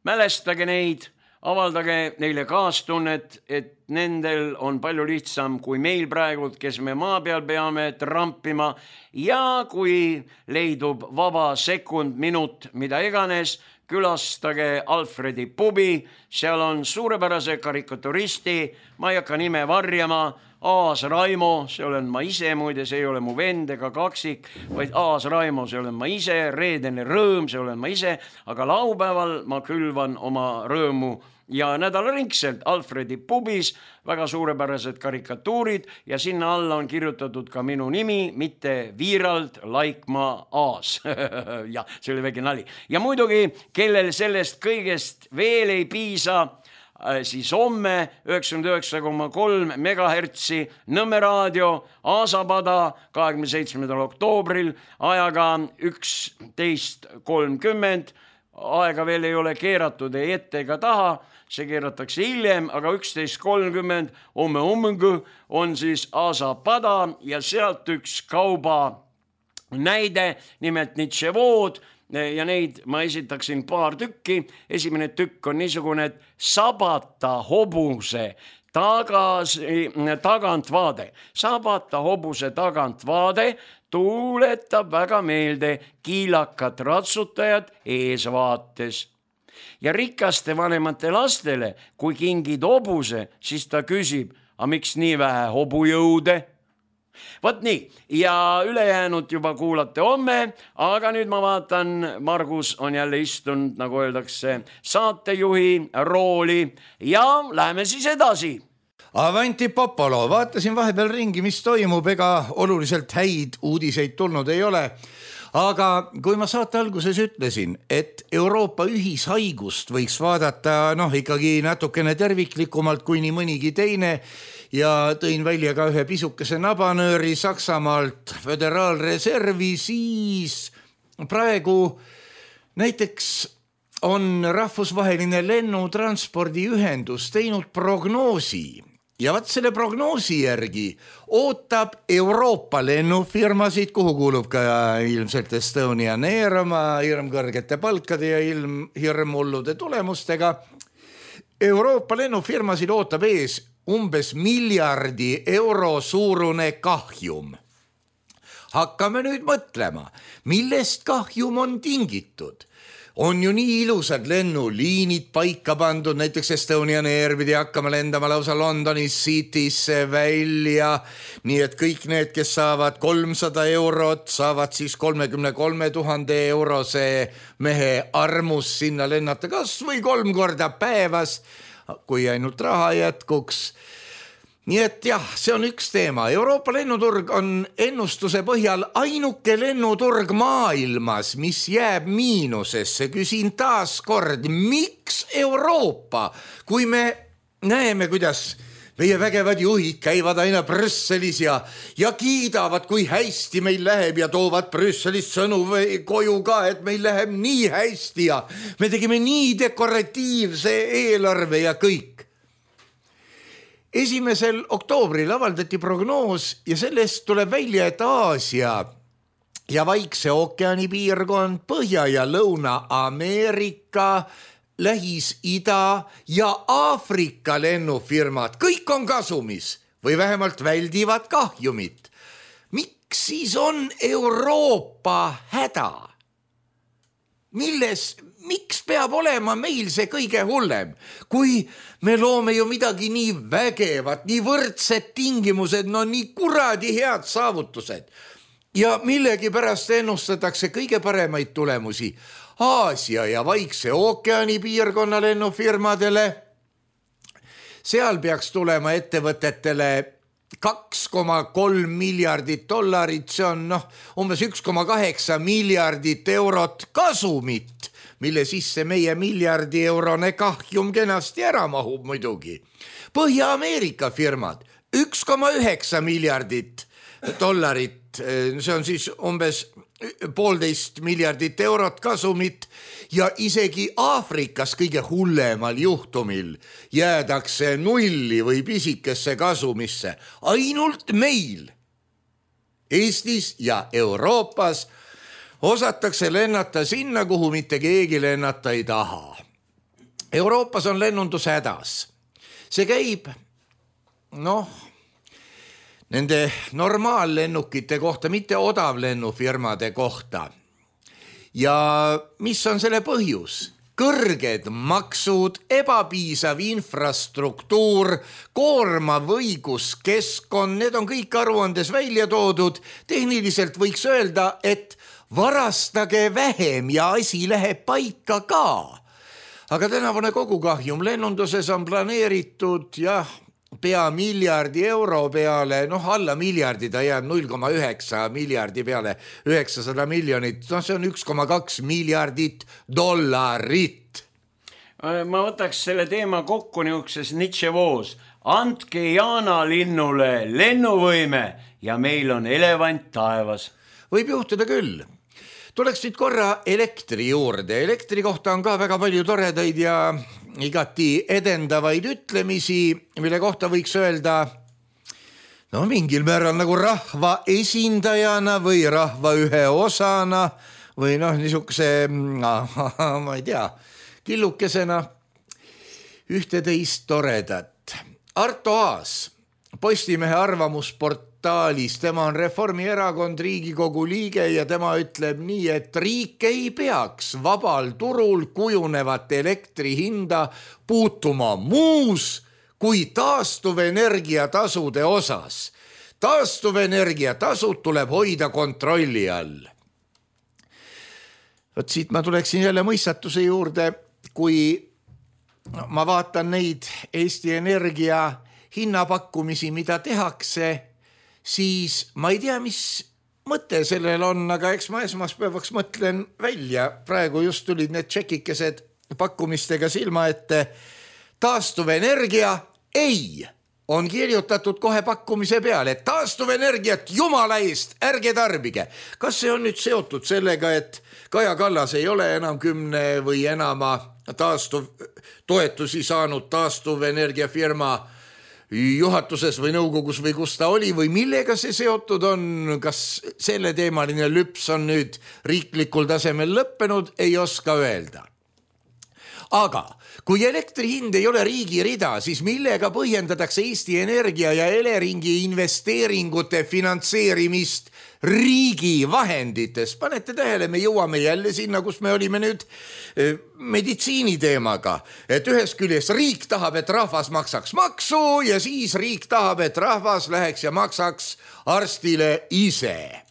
mälestage neid, avaldage neile kaastunnet, et nendel on palju lihtsam kui meil praegu, kes me maa peal peame trampima ja kui leidub vaba sekund, minut, mida iganes, külastage Alfredi pubi, seal on suurepärase karikaturisti, ma ei hakka nime varjama, Aas Raimo, see olen ma ise, muide, see ei ole mu vend ega kaksik, vaid Aas Raimo, see olen ma ise, reedene rõõm, see olen ma ise, aga laupäeval ma külvan oma rõõmu ja nädalaringselt Alfredi pubis väga suurepärased karikatuurid ja sinna alla on kirjutatud ka minu nimi, mitte Viirald Laikmaa Aas. Ja see oli väike nali. Ja muidugi, kellel sellest kõigest veel ei piisa, siis homme üheksakümmend üheksa koma kolm megahertsi Nõmme raadio Aasapada kahekümne seitsmendal oktoobril ajaga üksteist kolmkümmend. Aega veel ei ole keeratud ei ette ega taha, see keeratakse hiljem, aga üksteist kolmkümmend homme hommikul on siis Aasapada ja sealt üks kauba näide, nimelt Nitševood ja neid ma esitaksin paar tükki. Esimene tükk on niisugune, et sabata hobuse tagasi, tagantvaade. Sabata hobuse tagantvaade tuuletab väga meelde kiilakat ratsutajat eesvaates. Ja rikaste vanemate lastele, kui kingid hobuse, siis ta küsib, a miks nii vähe hobujõude? Vot nii, ja ülejäänud juba kuulate homme, aga nüüd ma vaatan, Margus on jälle istunud, nagu öeldakse, saatejuhi rooli ja läheme siis edasi. Avanti Popolo, vaatasin vahepeal ringi, mis toimub, ega oluliselt häid uudiseid tulnud ei ole. Aga kui ma saate alguses ütlesin, et Euroopa ühishaigust võiks vaadata noh, ikkagi natukene terviklikumalt kui nii mõnigi teine ja tõin välja ka ühe pisukese nabanööri Saksamaalt föderaalreservi, siis praegu näiteks on rahvusvaheline lennutranspordiühendus teinud prognoosi. Ja vaat selle prognoosi järgi ootab Euroopa lennufirmasid, kuhu kuulub ka ilmselt Estonian Air oma hirmkõrgete palkade ja ilm, hirmullude tulemustega. Euroopa lennufirmasid ootab ees umbes miljardi euro suurune kahjum. Hakkame nüüd mõtlema, millest kahjum on tingitud. On ju nii ilusad lennuliinid paika pandud, näiteks Estonian Air pidi hakkama lendama lausa Londoni Citysse välja, nii et kõik need, kes saavad kolmsada eurot, saavad siis kolmekümne kolme tuhande eurose mehe armus sinna lennata kas või kolm korda päevas, kui ainult raha jätkuks. Nii et jah, see on üks teema. Euroopa lennuturg on ennustuse põhjal ainuke lennuturg maailmas, mis jääb miinusesse. Küsin taas kord, miks Euroopa, kui me näeme, kuidas meie vägevad juhid käivad aina Brüsselis ja, ja kiidavad, kui hästi meil läheb ja toovad Brüsselist sõnu koju ka, et meil läheb nii hästi ja me tegime nii dekoratiivse eelarve ja kõik. Esimesel oktoobril avaldati prognoos ja sellest tuleb välja, et Aasia ja Vaikse ookeani piirkond, Põhja- ja Lõuna-Ameerika, Lähis-Ida ja Aafrika lennufirmad, kõik on kasumis või vähemalt väldivad kahjumit. Miks siis on Euroopa häda? Milles, miks peab olema meil see kõige hullem, kui me loome ju midagi nii vägevat, nii võrdsed tingimused, no nii kuradi head saavutused ja millegi pärast ennustatakse kõige paremaid tulemusi Aasia ja Vaikse ookeani piirkonna lennufirmadele. Seal peaks tulema ettevõtetele kaks koma kolm miljardit dollarit, see on noh, umbes üks koma kaheksa miljardit eurot kasumit, mille sisse meie miljardi eurone kahjum kenasti ära mahub muidugi. Põhja-Ameerika firmad, üks koma üheksa miljardit dollarit, see on siis umbes poolteist miljardit eurot kasumit ja isegi Aafrikas kõige hullemal juhtumil jäädakse nulli või pisikesse kasumisse. Ainult meil, Eestis ja Euroopas osatakse lennata sinna, kuhu mitte keegi lennata ei taha. Euroopas on lennundus hädas. See käib, noh, nende normaallennukite kohta, mitte odavlennufirmade kohta. Ja mis on selle põhjus? Kõrged maksud, ebapiisav infrastruktuur, koormav õiguskeskkond, need on kõik aruandes välja toodud. Tehniliselt võiks öelda, et varastage vähem ja asi läheb paika ka. Aga tänavune kogukahjum lennunduses on planeeritud, jah, pea miljardi euro peale, noh alla miljardi, ta jääb null koma üheksa miljardi peale, üheksasada miljonit, noh see on üks koma kaks miljardit dollarit. Ma võtaks selle teema kokku niukses Nitševoos. Andke Jaana linnule lennuvõime ja meil on elevant taevas. Võib juhtuda küll. Tuleks nüüd korra elektri juurde. Elektri kohta on ka väga palju toredaid ja igati edendavaid ütlemisi, mille kohta võiks öelda, no mingil määral nagu rahva esindajana või rahva ühe osana või noh, niisuguse, ma ei tea, killukesena ühte-teist toredat. Arto Aas, Postimehe arvamusportaalis, tema on Reformierakond Riigikogu liige ja tema ütleb nii, et riik ei peaks vabal turul kujunevat elektri hinda puutuma muus kui taastuvenergia tasude osas. Taastuvenergia tasud tuleb hoida kontrolli all. Võt siit ma tuleksin jälle mõistatuse juurde, kui ma vaatan neid Eesti Energia hinnapakkumisi, mida tehakse, siis ma ei tea, mis mõte sellel on, aga eks ma esmaspäevaks mõtlen välja. Praegu just tulid need tšekikesed pakkumistega silma ette. Taastuvenergia ei on kirjutatud kohe pakkumise peale, et taastuvenergiat jumala eest ärge tarbige. Kas see on nüüd seotud sellega, et Kaja Kallas ei ole enam kümne või enama taastuv toetusi saanud taastuvenergiafirma juhatuses või nõukogus või kus ta oli või millega see seotud on, kas selle teemaline lüps on nüüd riiklikul tasemel lõppenud, ei oska öelda. Aga kui elektri hind ei ole riigi rida, siis millega põhjendatakse Eesti Energia ja Eleringi investeeringute finantseerimist riigi vahendites? Panete tähele, me jõuame jälle sinna, kus me olime nüüd meditsiiniteemaga, et ühest küljest riik tahab, et rahvas maksaks maksu ja siis riik tahab, et rahvas läheks ja maksaks arstile ise.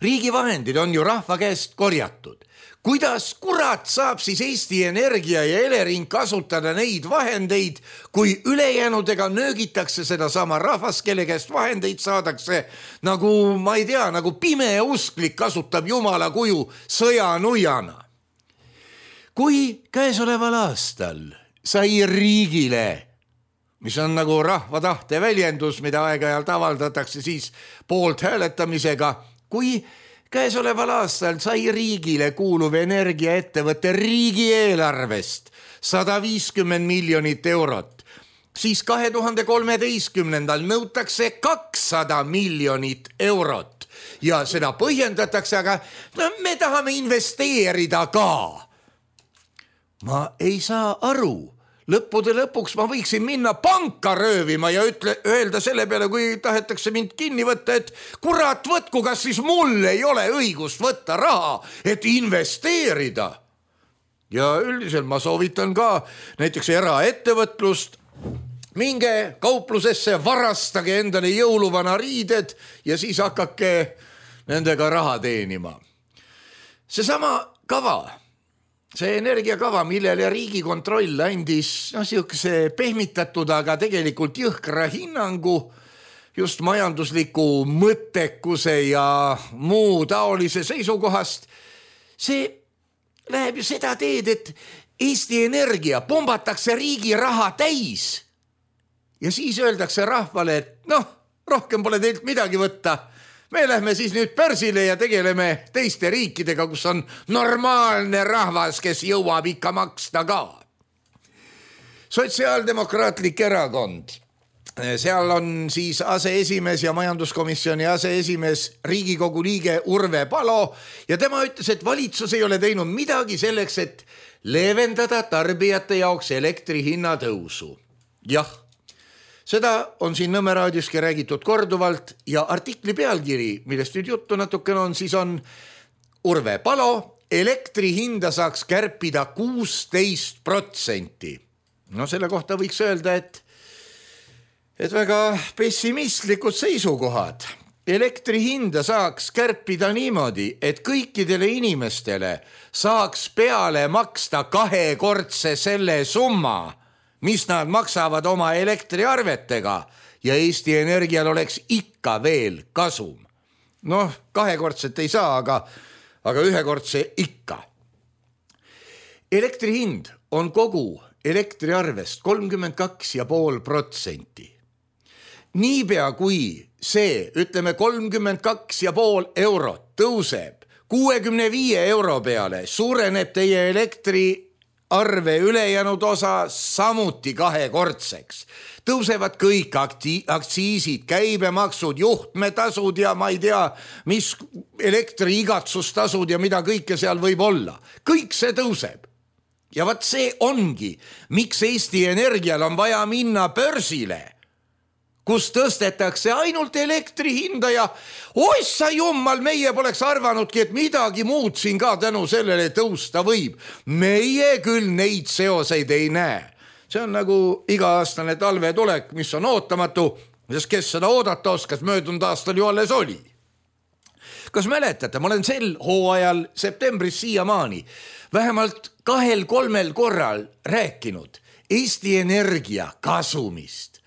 Riigi vahendid on ju rahva käest korjatud. Kuidas kurat saab siis Eesti Energia ja Elering kasutada neid vahendeid, kui ülejäänudega nöögitakse seda sama rahvas, kelle käest vahendeid saadakse, nagu, ma ei tea, nagu pimeusklik kasutab jumala kuju sõjanujana. Kui käesoleval aastal sai riigile, mis on nagu rahva tahte väljendus, mida aeg-ajalt avaldatakse siis poolt hääletamisega, kui käesoleval aastal sai riigile kuuluv energiaettevõtte riigieelarvest sada viiskümmend miljonit eurot, siis kahe tuhande kolmeteistkümnendal nõutakse kakssada miljonit eurot ja seda põhjendatakse, aga no, me tahame investeerida ka. Ma ei saa aru. Lõppude lõpuks ma võiksin minna panka röövima ja ütle, öelda selle peale, kui tahetakse mind kinni võtta, et kurat võtku, kas siis mul ei ole õigust võtta raha, et investeerida. Ja üldiselt ma soovitan ka näiteks eraettevõtlust, minge kauplusesse, varastage endale jõuluvana riided ja siis hakake nendega raha teenima. Seesama kava, see energiakava, millele Riigikontroll andis no, siukse pehmitatud, aga tegelikult jõhkra hinnangu just majandusliku mõttekuse ja muu taolise seisukohast, see läheb ju seda teed, et Eesti Energia pombatakse riigi raha täis ja siis öeldakse rahvale, et noh, rohkem pole teilt midagi võtta. Me lähme siis nüüd börsile ja tegeleme teiste riikidega, kus on normaalne rahvas, kes jõuab ikka maksta ka. Sotsiaaldemokraatlik erakond. Seal on siis aseesimees ja majanduskomisjoni aseesimees Riigikogu liige Urve Palo ja tema ütles, et valitsus ei ole teinud midagi selleks, et leevendada tarbijate jaoks elektri hinna tõusu. Jah. Seda on siin Nõmme raadioski räägitud korduvalt ja artikli pealkiri, millest nüüd juttu natukene on, siis on Urve Palo, elektri hinda saaks kärpida kuusteist protsenti. No selle kohta võiks öelda, et, et väga pessimistlikud seisukohad. Elektri hinda saaks kärpida niimoodi, et kõikidele inimestele saaks peale maksta kahekordse selle summa, mis nad maksavad oma elektriarvetega ja Eesti Energial oleks ikka veel kasum. Noh, kahekordset ei saa, aga, aga ühekordse ikka. Elektri hind on kogu elektriarvest kolmkümmend kaks ja pool protsenti. Niipea kui see, ütleme kolmkümmend kaks ja pool eurot tõuseb kuuekümne viie euro peale, suureneb teie elektri arve ülejäänud osa samuti kahekordseks. Tõusevad kõik akti- aktsiisid, käibemaksud, juhtmetasud ja ma ei tea, mis elektriigatsustasud ja mida kõike seal võib olla. Kõik see tõuseb. Ja vaat see ongi, miks Eesti Energial on vaja minna börsile, kus tõstetakse ainult elektri hinda ja oissa jummal, meie poleks arvanudki, et midagi muud siin ka tänu sellele tõusta võib. Meie küll neid seoseid ei näe. See on nagu iga-aastane talvetulek, mis on ootamatu, sest kes seda oodata oskas, möödunud aastal ju alles oli. Kas mäletate, ma olen sel hooajal septembris siiamaani vähemalt kahel-kolmel korral rääkinud Eesti Energia kasumist.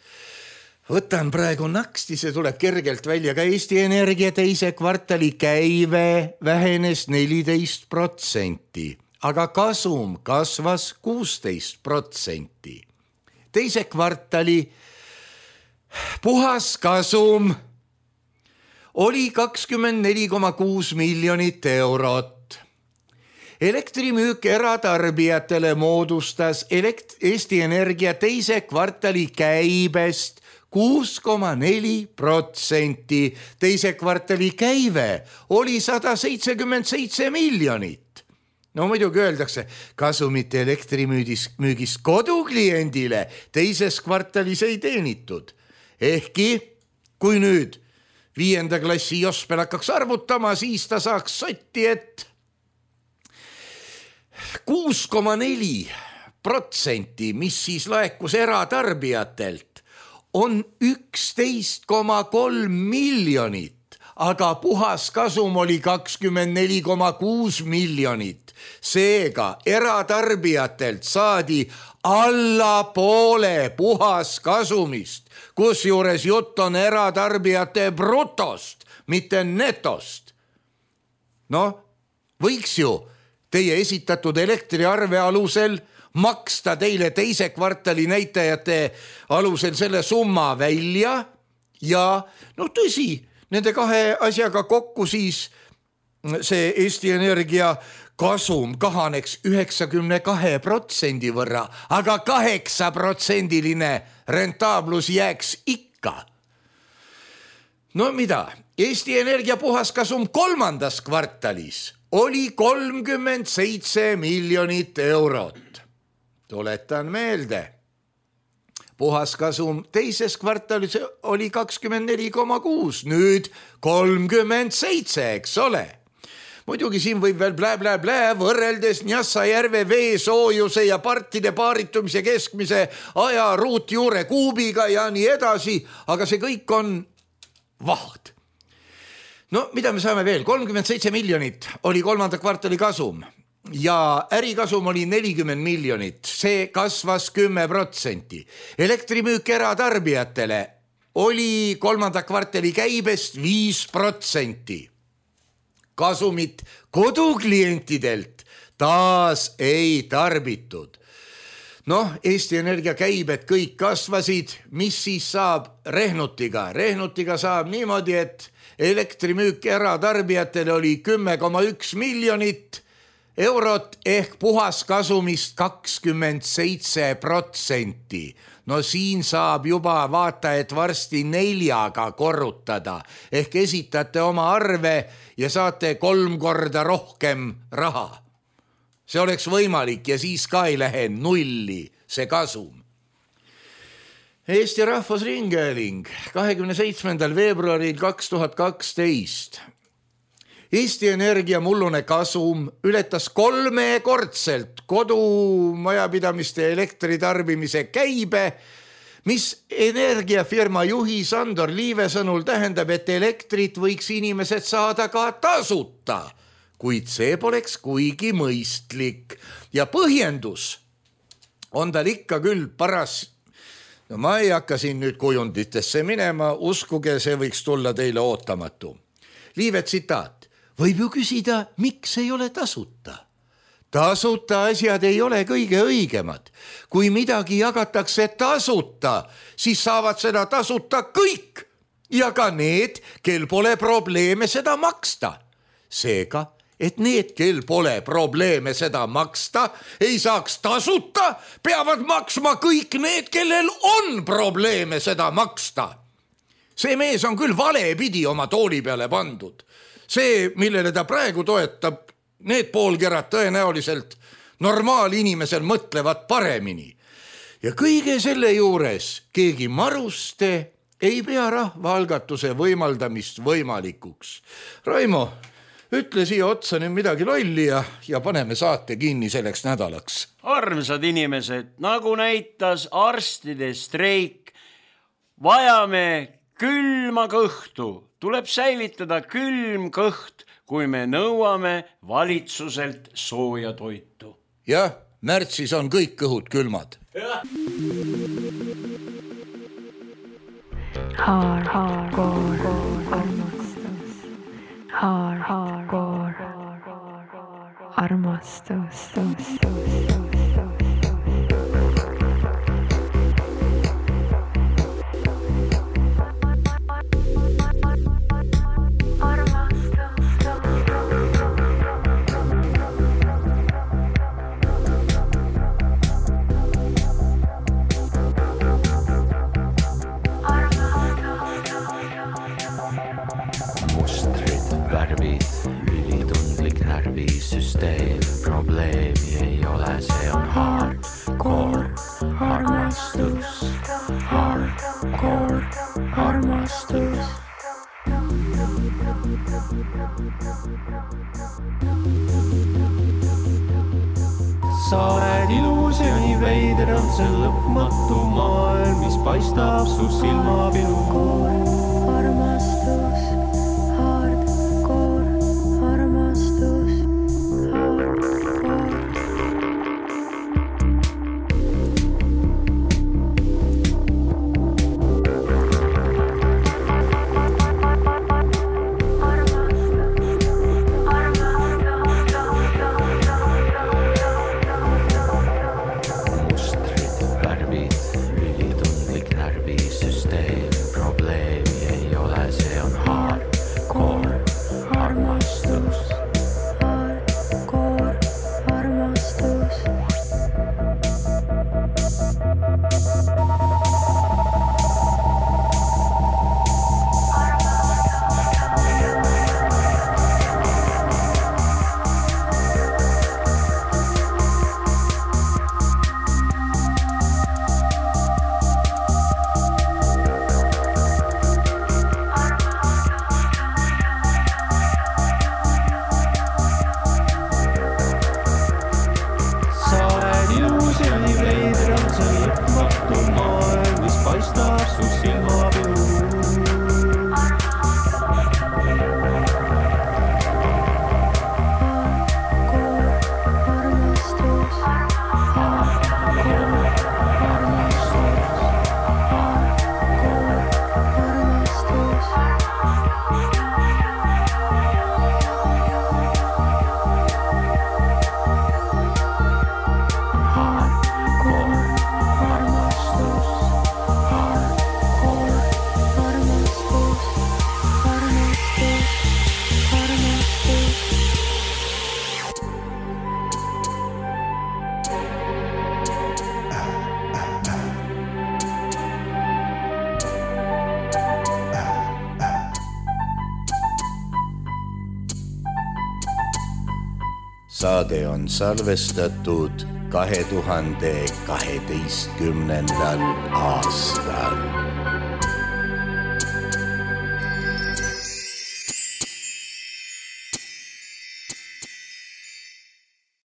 Võtan praegu naksti, see tuleb kergelt välja, ka Eesti Energia teise kvartali käive vähenes neliteist protsenti, aga kasum kasvas kuusteist protsenti. Teise kvartali puhas kasum oli kakskümmend neli koma kuus miljonit eurot. Elektrimüük eratarbijatele moodustas elekt- Eesti Energia teise kvartali käibest kuus koma neli protsenti. Teise kvartali käive oli sada seitsekümmend seitse miljonit. No muidugi öeldakse, kasumit elektrimüügist kodukliendile teises kvartalis ei teenitud. Ehkki, kui nüüd viienda klassi Jospel hakkaks arvutama, siis ta saaks sotti, et kuus koma neli protsenti, mis siis laekus eratarbijatelt, on üksteist koma kolm miljonit, aga puhas kasum oli kakskümmend neli koma kuus miljonit. Seega eratarbijatelt saadi alla poole puhas kasumist, kusjuures jutt on eratarbijate brutost, mitte netost. No, võiks ju teie esitatud elektriarve alusel maksta teile teise kvartali näitajate alusel selle summa välja ja no tõsi, nende kahe asjaga kokku siis see Eesti Energia kasum kahaneks üheksakümne kahe protsendi võrra, aga kaheksa protsendiline rentaablus jääks ikka. No mida, Eesti Energia puhaskasum kolmandas kvartalis oli kolmkümmend seitse miljonit eurot. Tuletan meelde, puhaskasum teises kvartalis oli kakskümmend neli koma kuus, nüüd kolmkümmend seitse, eks ole. Muidugi siin võib veel blä-blä-blä võrreldes Njassajärve veesoojuse ja partide paaritumise keskmise aja ruutjuure kuubiga ja nii edasi, aga see kõik on vahd. No mida me saame veel? kolmkümmend seitse miljonit oli kolmanda kvartali kasum ja ärikasum oli nelikümmend miljonit, see kasvas kümme protsenti. Elektrimüük eratarbijatele oli kolmanda kvartali käibest viis protsenti. Kasumit koduklientidelt taas ei tarbitud. Noh, Eesti Energia käibed kõik kasvasid, mis siis saab rehnutiga? Rehnutiga saab niimoodi, et elektrimüük eratarbijatele oli kümme koma üks miljonit eurot ehk puhaskasumist kakskümmend seitse protsenti. No siin saab juba vaata, et varsti neljaga korrutada ehk esitate oma arve ja saate kolm korda rohkem raha. See oleks võimalik ja siis ka ei lähe nulli see kasum. Eesti Rahvusringhääling kahekümne seitsmendal veebruaril kaks tuhat kaksteist. Eesti Energia mullune kasum ületas kolmekordselt kodumajapidamiste elektritarbimise käibe, mis energiafirma juhi Sandor Liive sõnul tähendab, et elektrit võiks inimesed saada ka tasuta, kuid see poleks kuigi mõistlik. Ja põhjendus on tal ikka küll paras. No ma ei hakka siin nüüd kujunditesse minema, uskuge, see võiks tulla teile ootamatu. Liive tsitaat. Võib ju küsida, miks ei ole tasuta? Tasuta asjad ei ole kõige õigemad. Kui midagi jagatakse tasuta, siis saavad seda tasuta kõik ja ka need, kel pole probleeme seda maksta. Seega et need, kel pole probleeme seda maksta, ei saaks tasuta, peavad maksma kõik need, kellel on probleeme seda maksta. See mees on küll valepidi oma tooli peale pandud. See, millele ta praegu toetab, need poolkerad tõenäoliselt normaalinimesel mõtlevad paremini. Ja kõige selle juures keegi maruste ei pea rahvaalgatuse võimaldamist võimalikuks. Raimo, ütle siia otsa nüüd midagi lolli ja, ja paneme saate kinni selleks nädalaks. Armsad inimesed, nagu näitas arstide streik, vajame külma kõhtu. Tuleb säilitada külm kõht, kui me nõuame valitsuselt sooja toitu. Jah, märtsis on kõik kõhud külmad. Har, har, går, armastus. Har, har, går, armastus. Süsteem, probleemi ei ole, see on hardcore armastus, hardcore armastus. Sa oled ilus ja nii veider on see lõpmatu maailm, mis paistab su silmapilu. Armastus, hardcore armastus. Saade on salvestatud kahe tuhande kaheteistkümnendal aastal.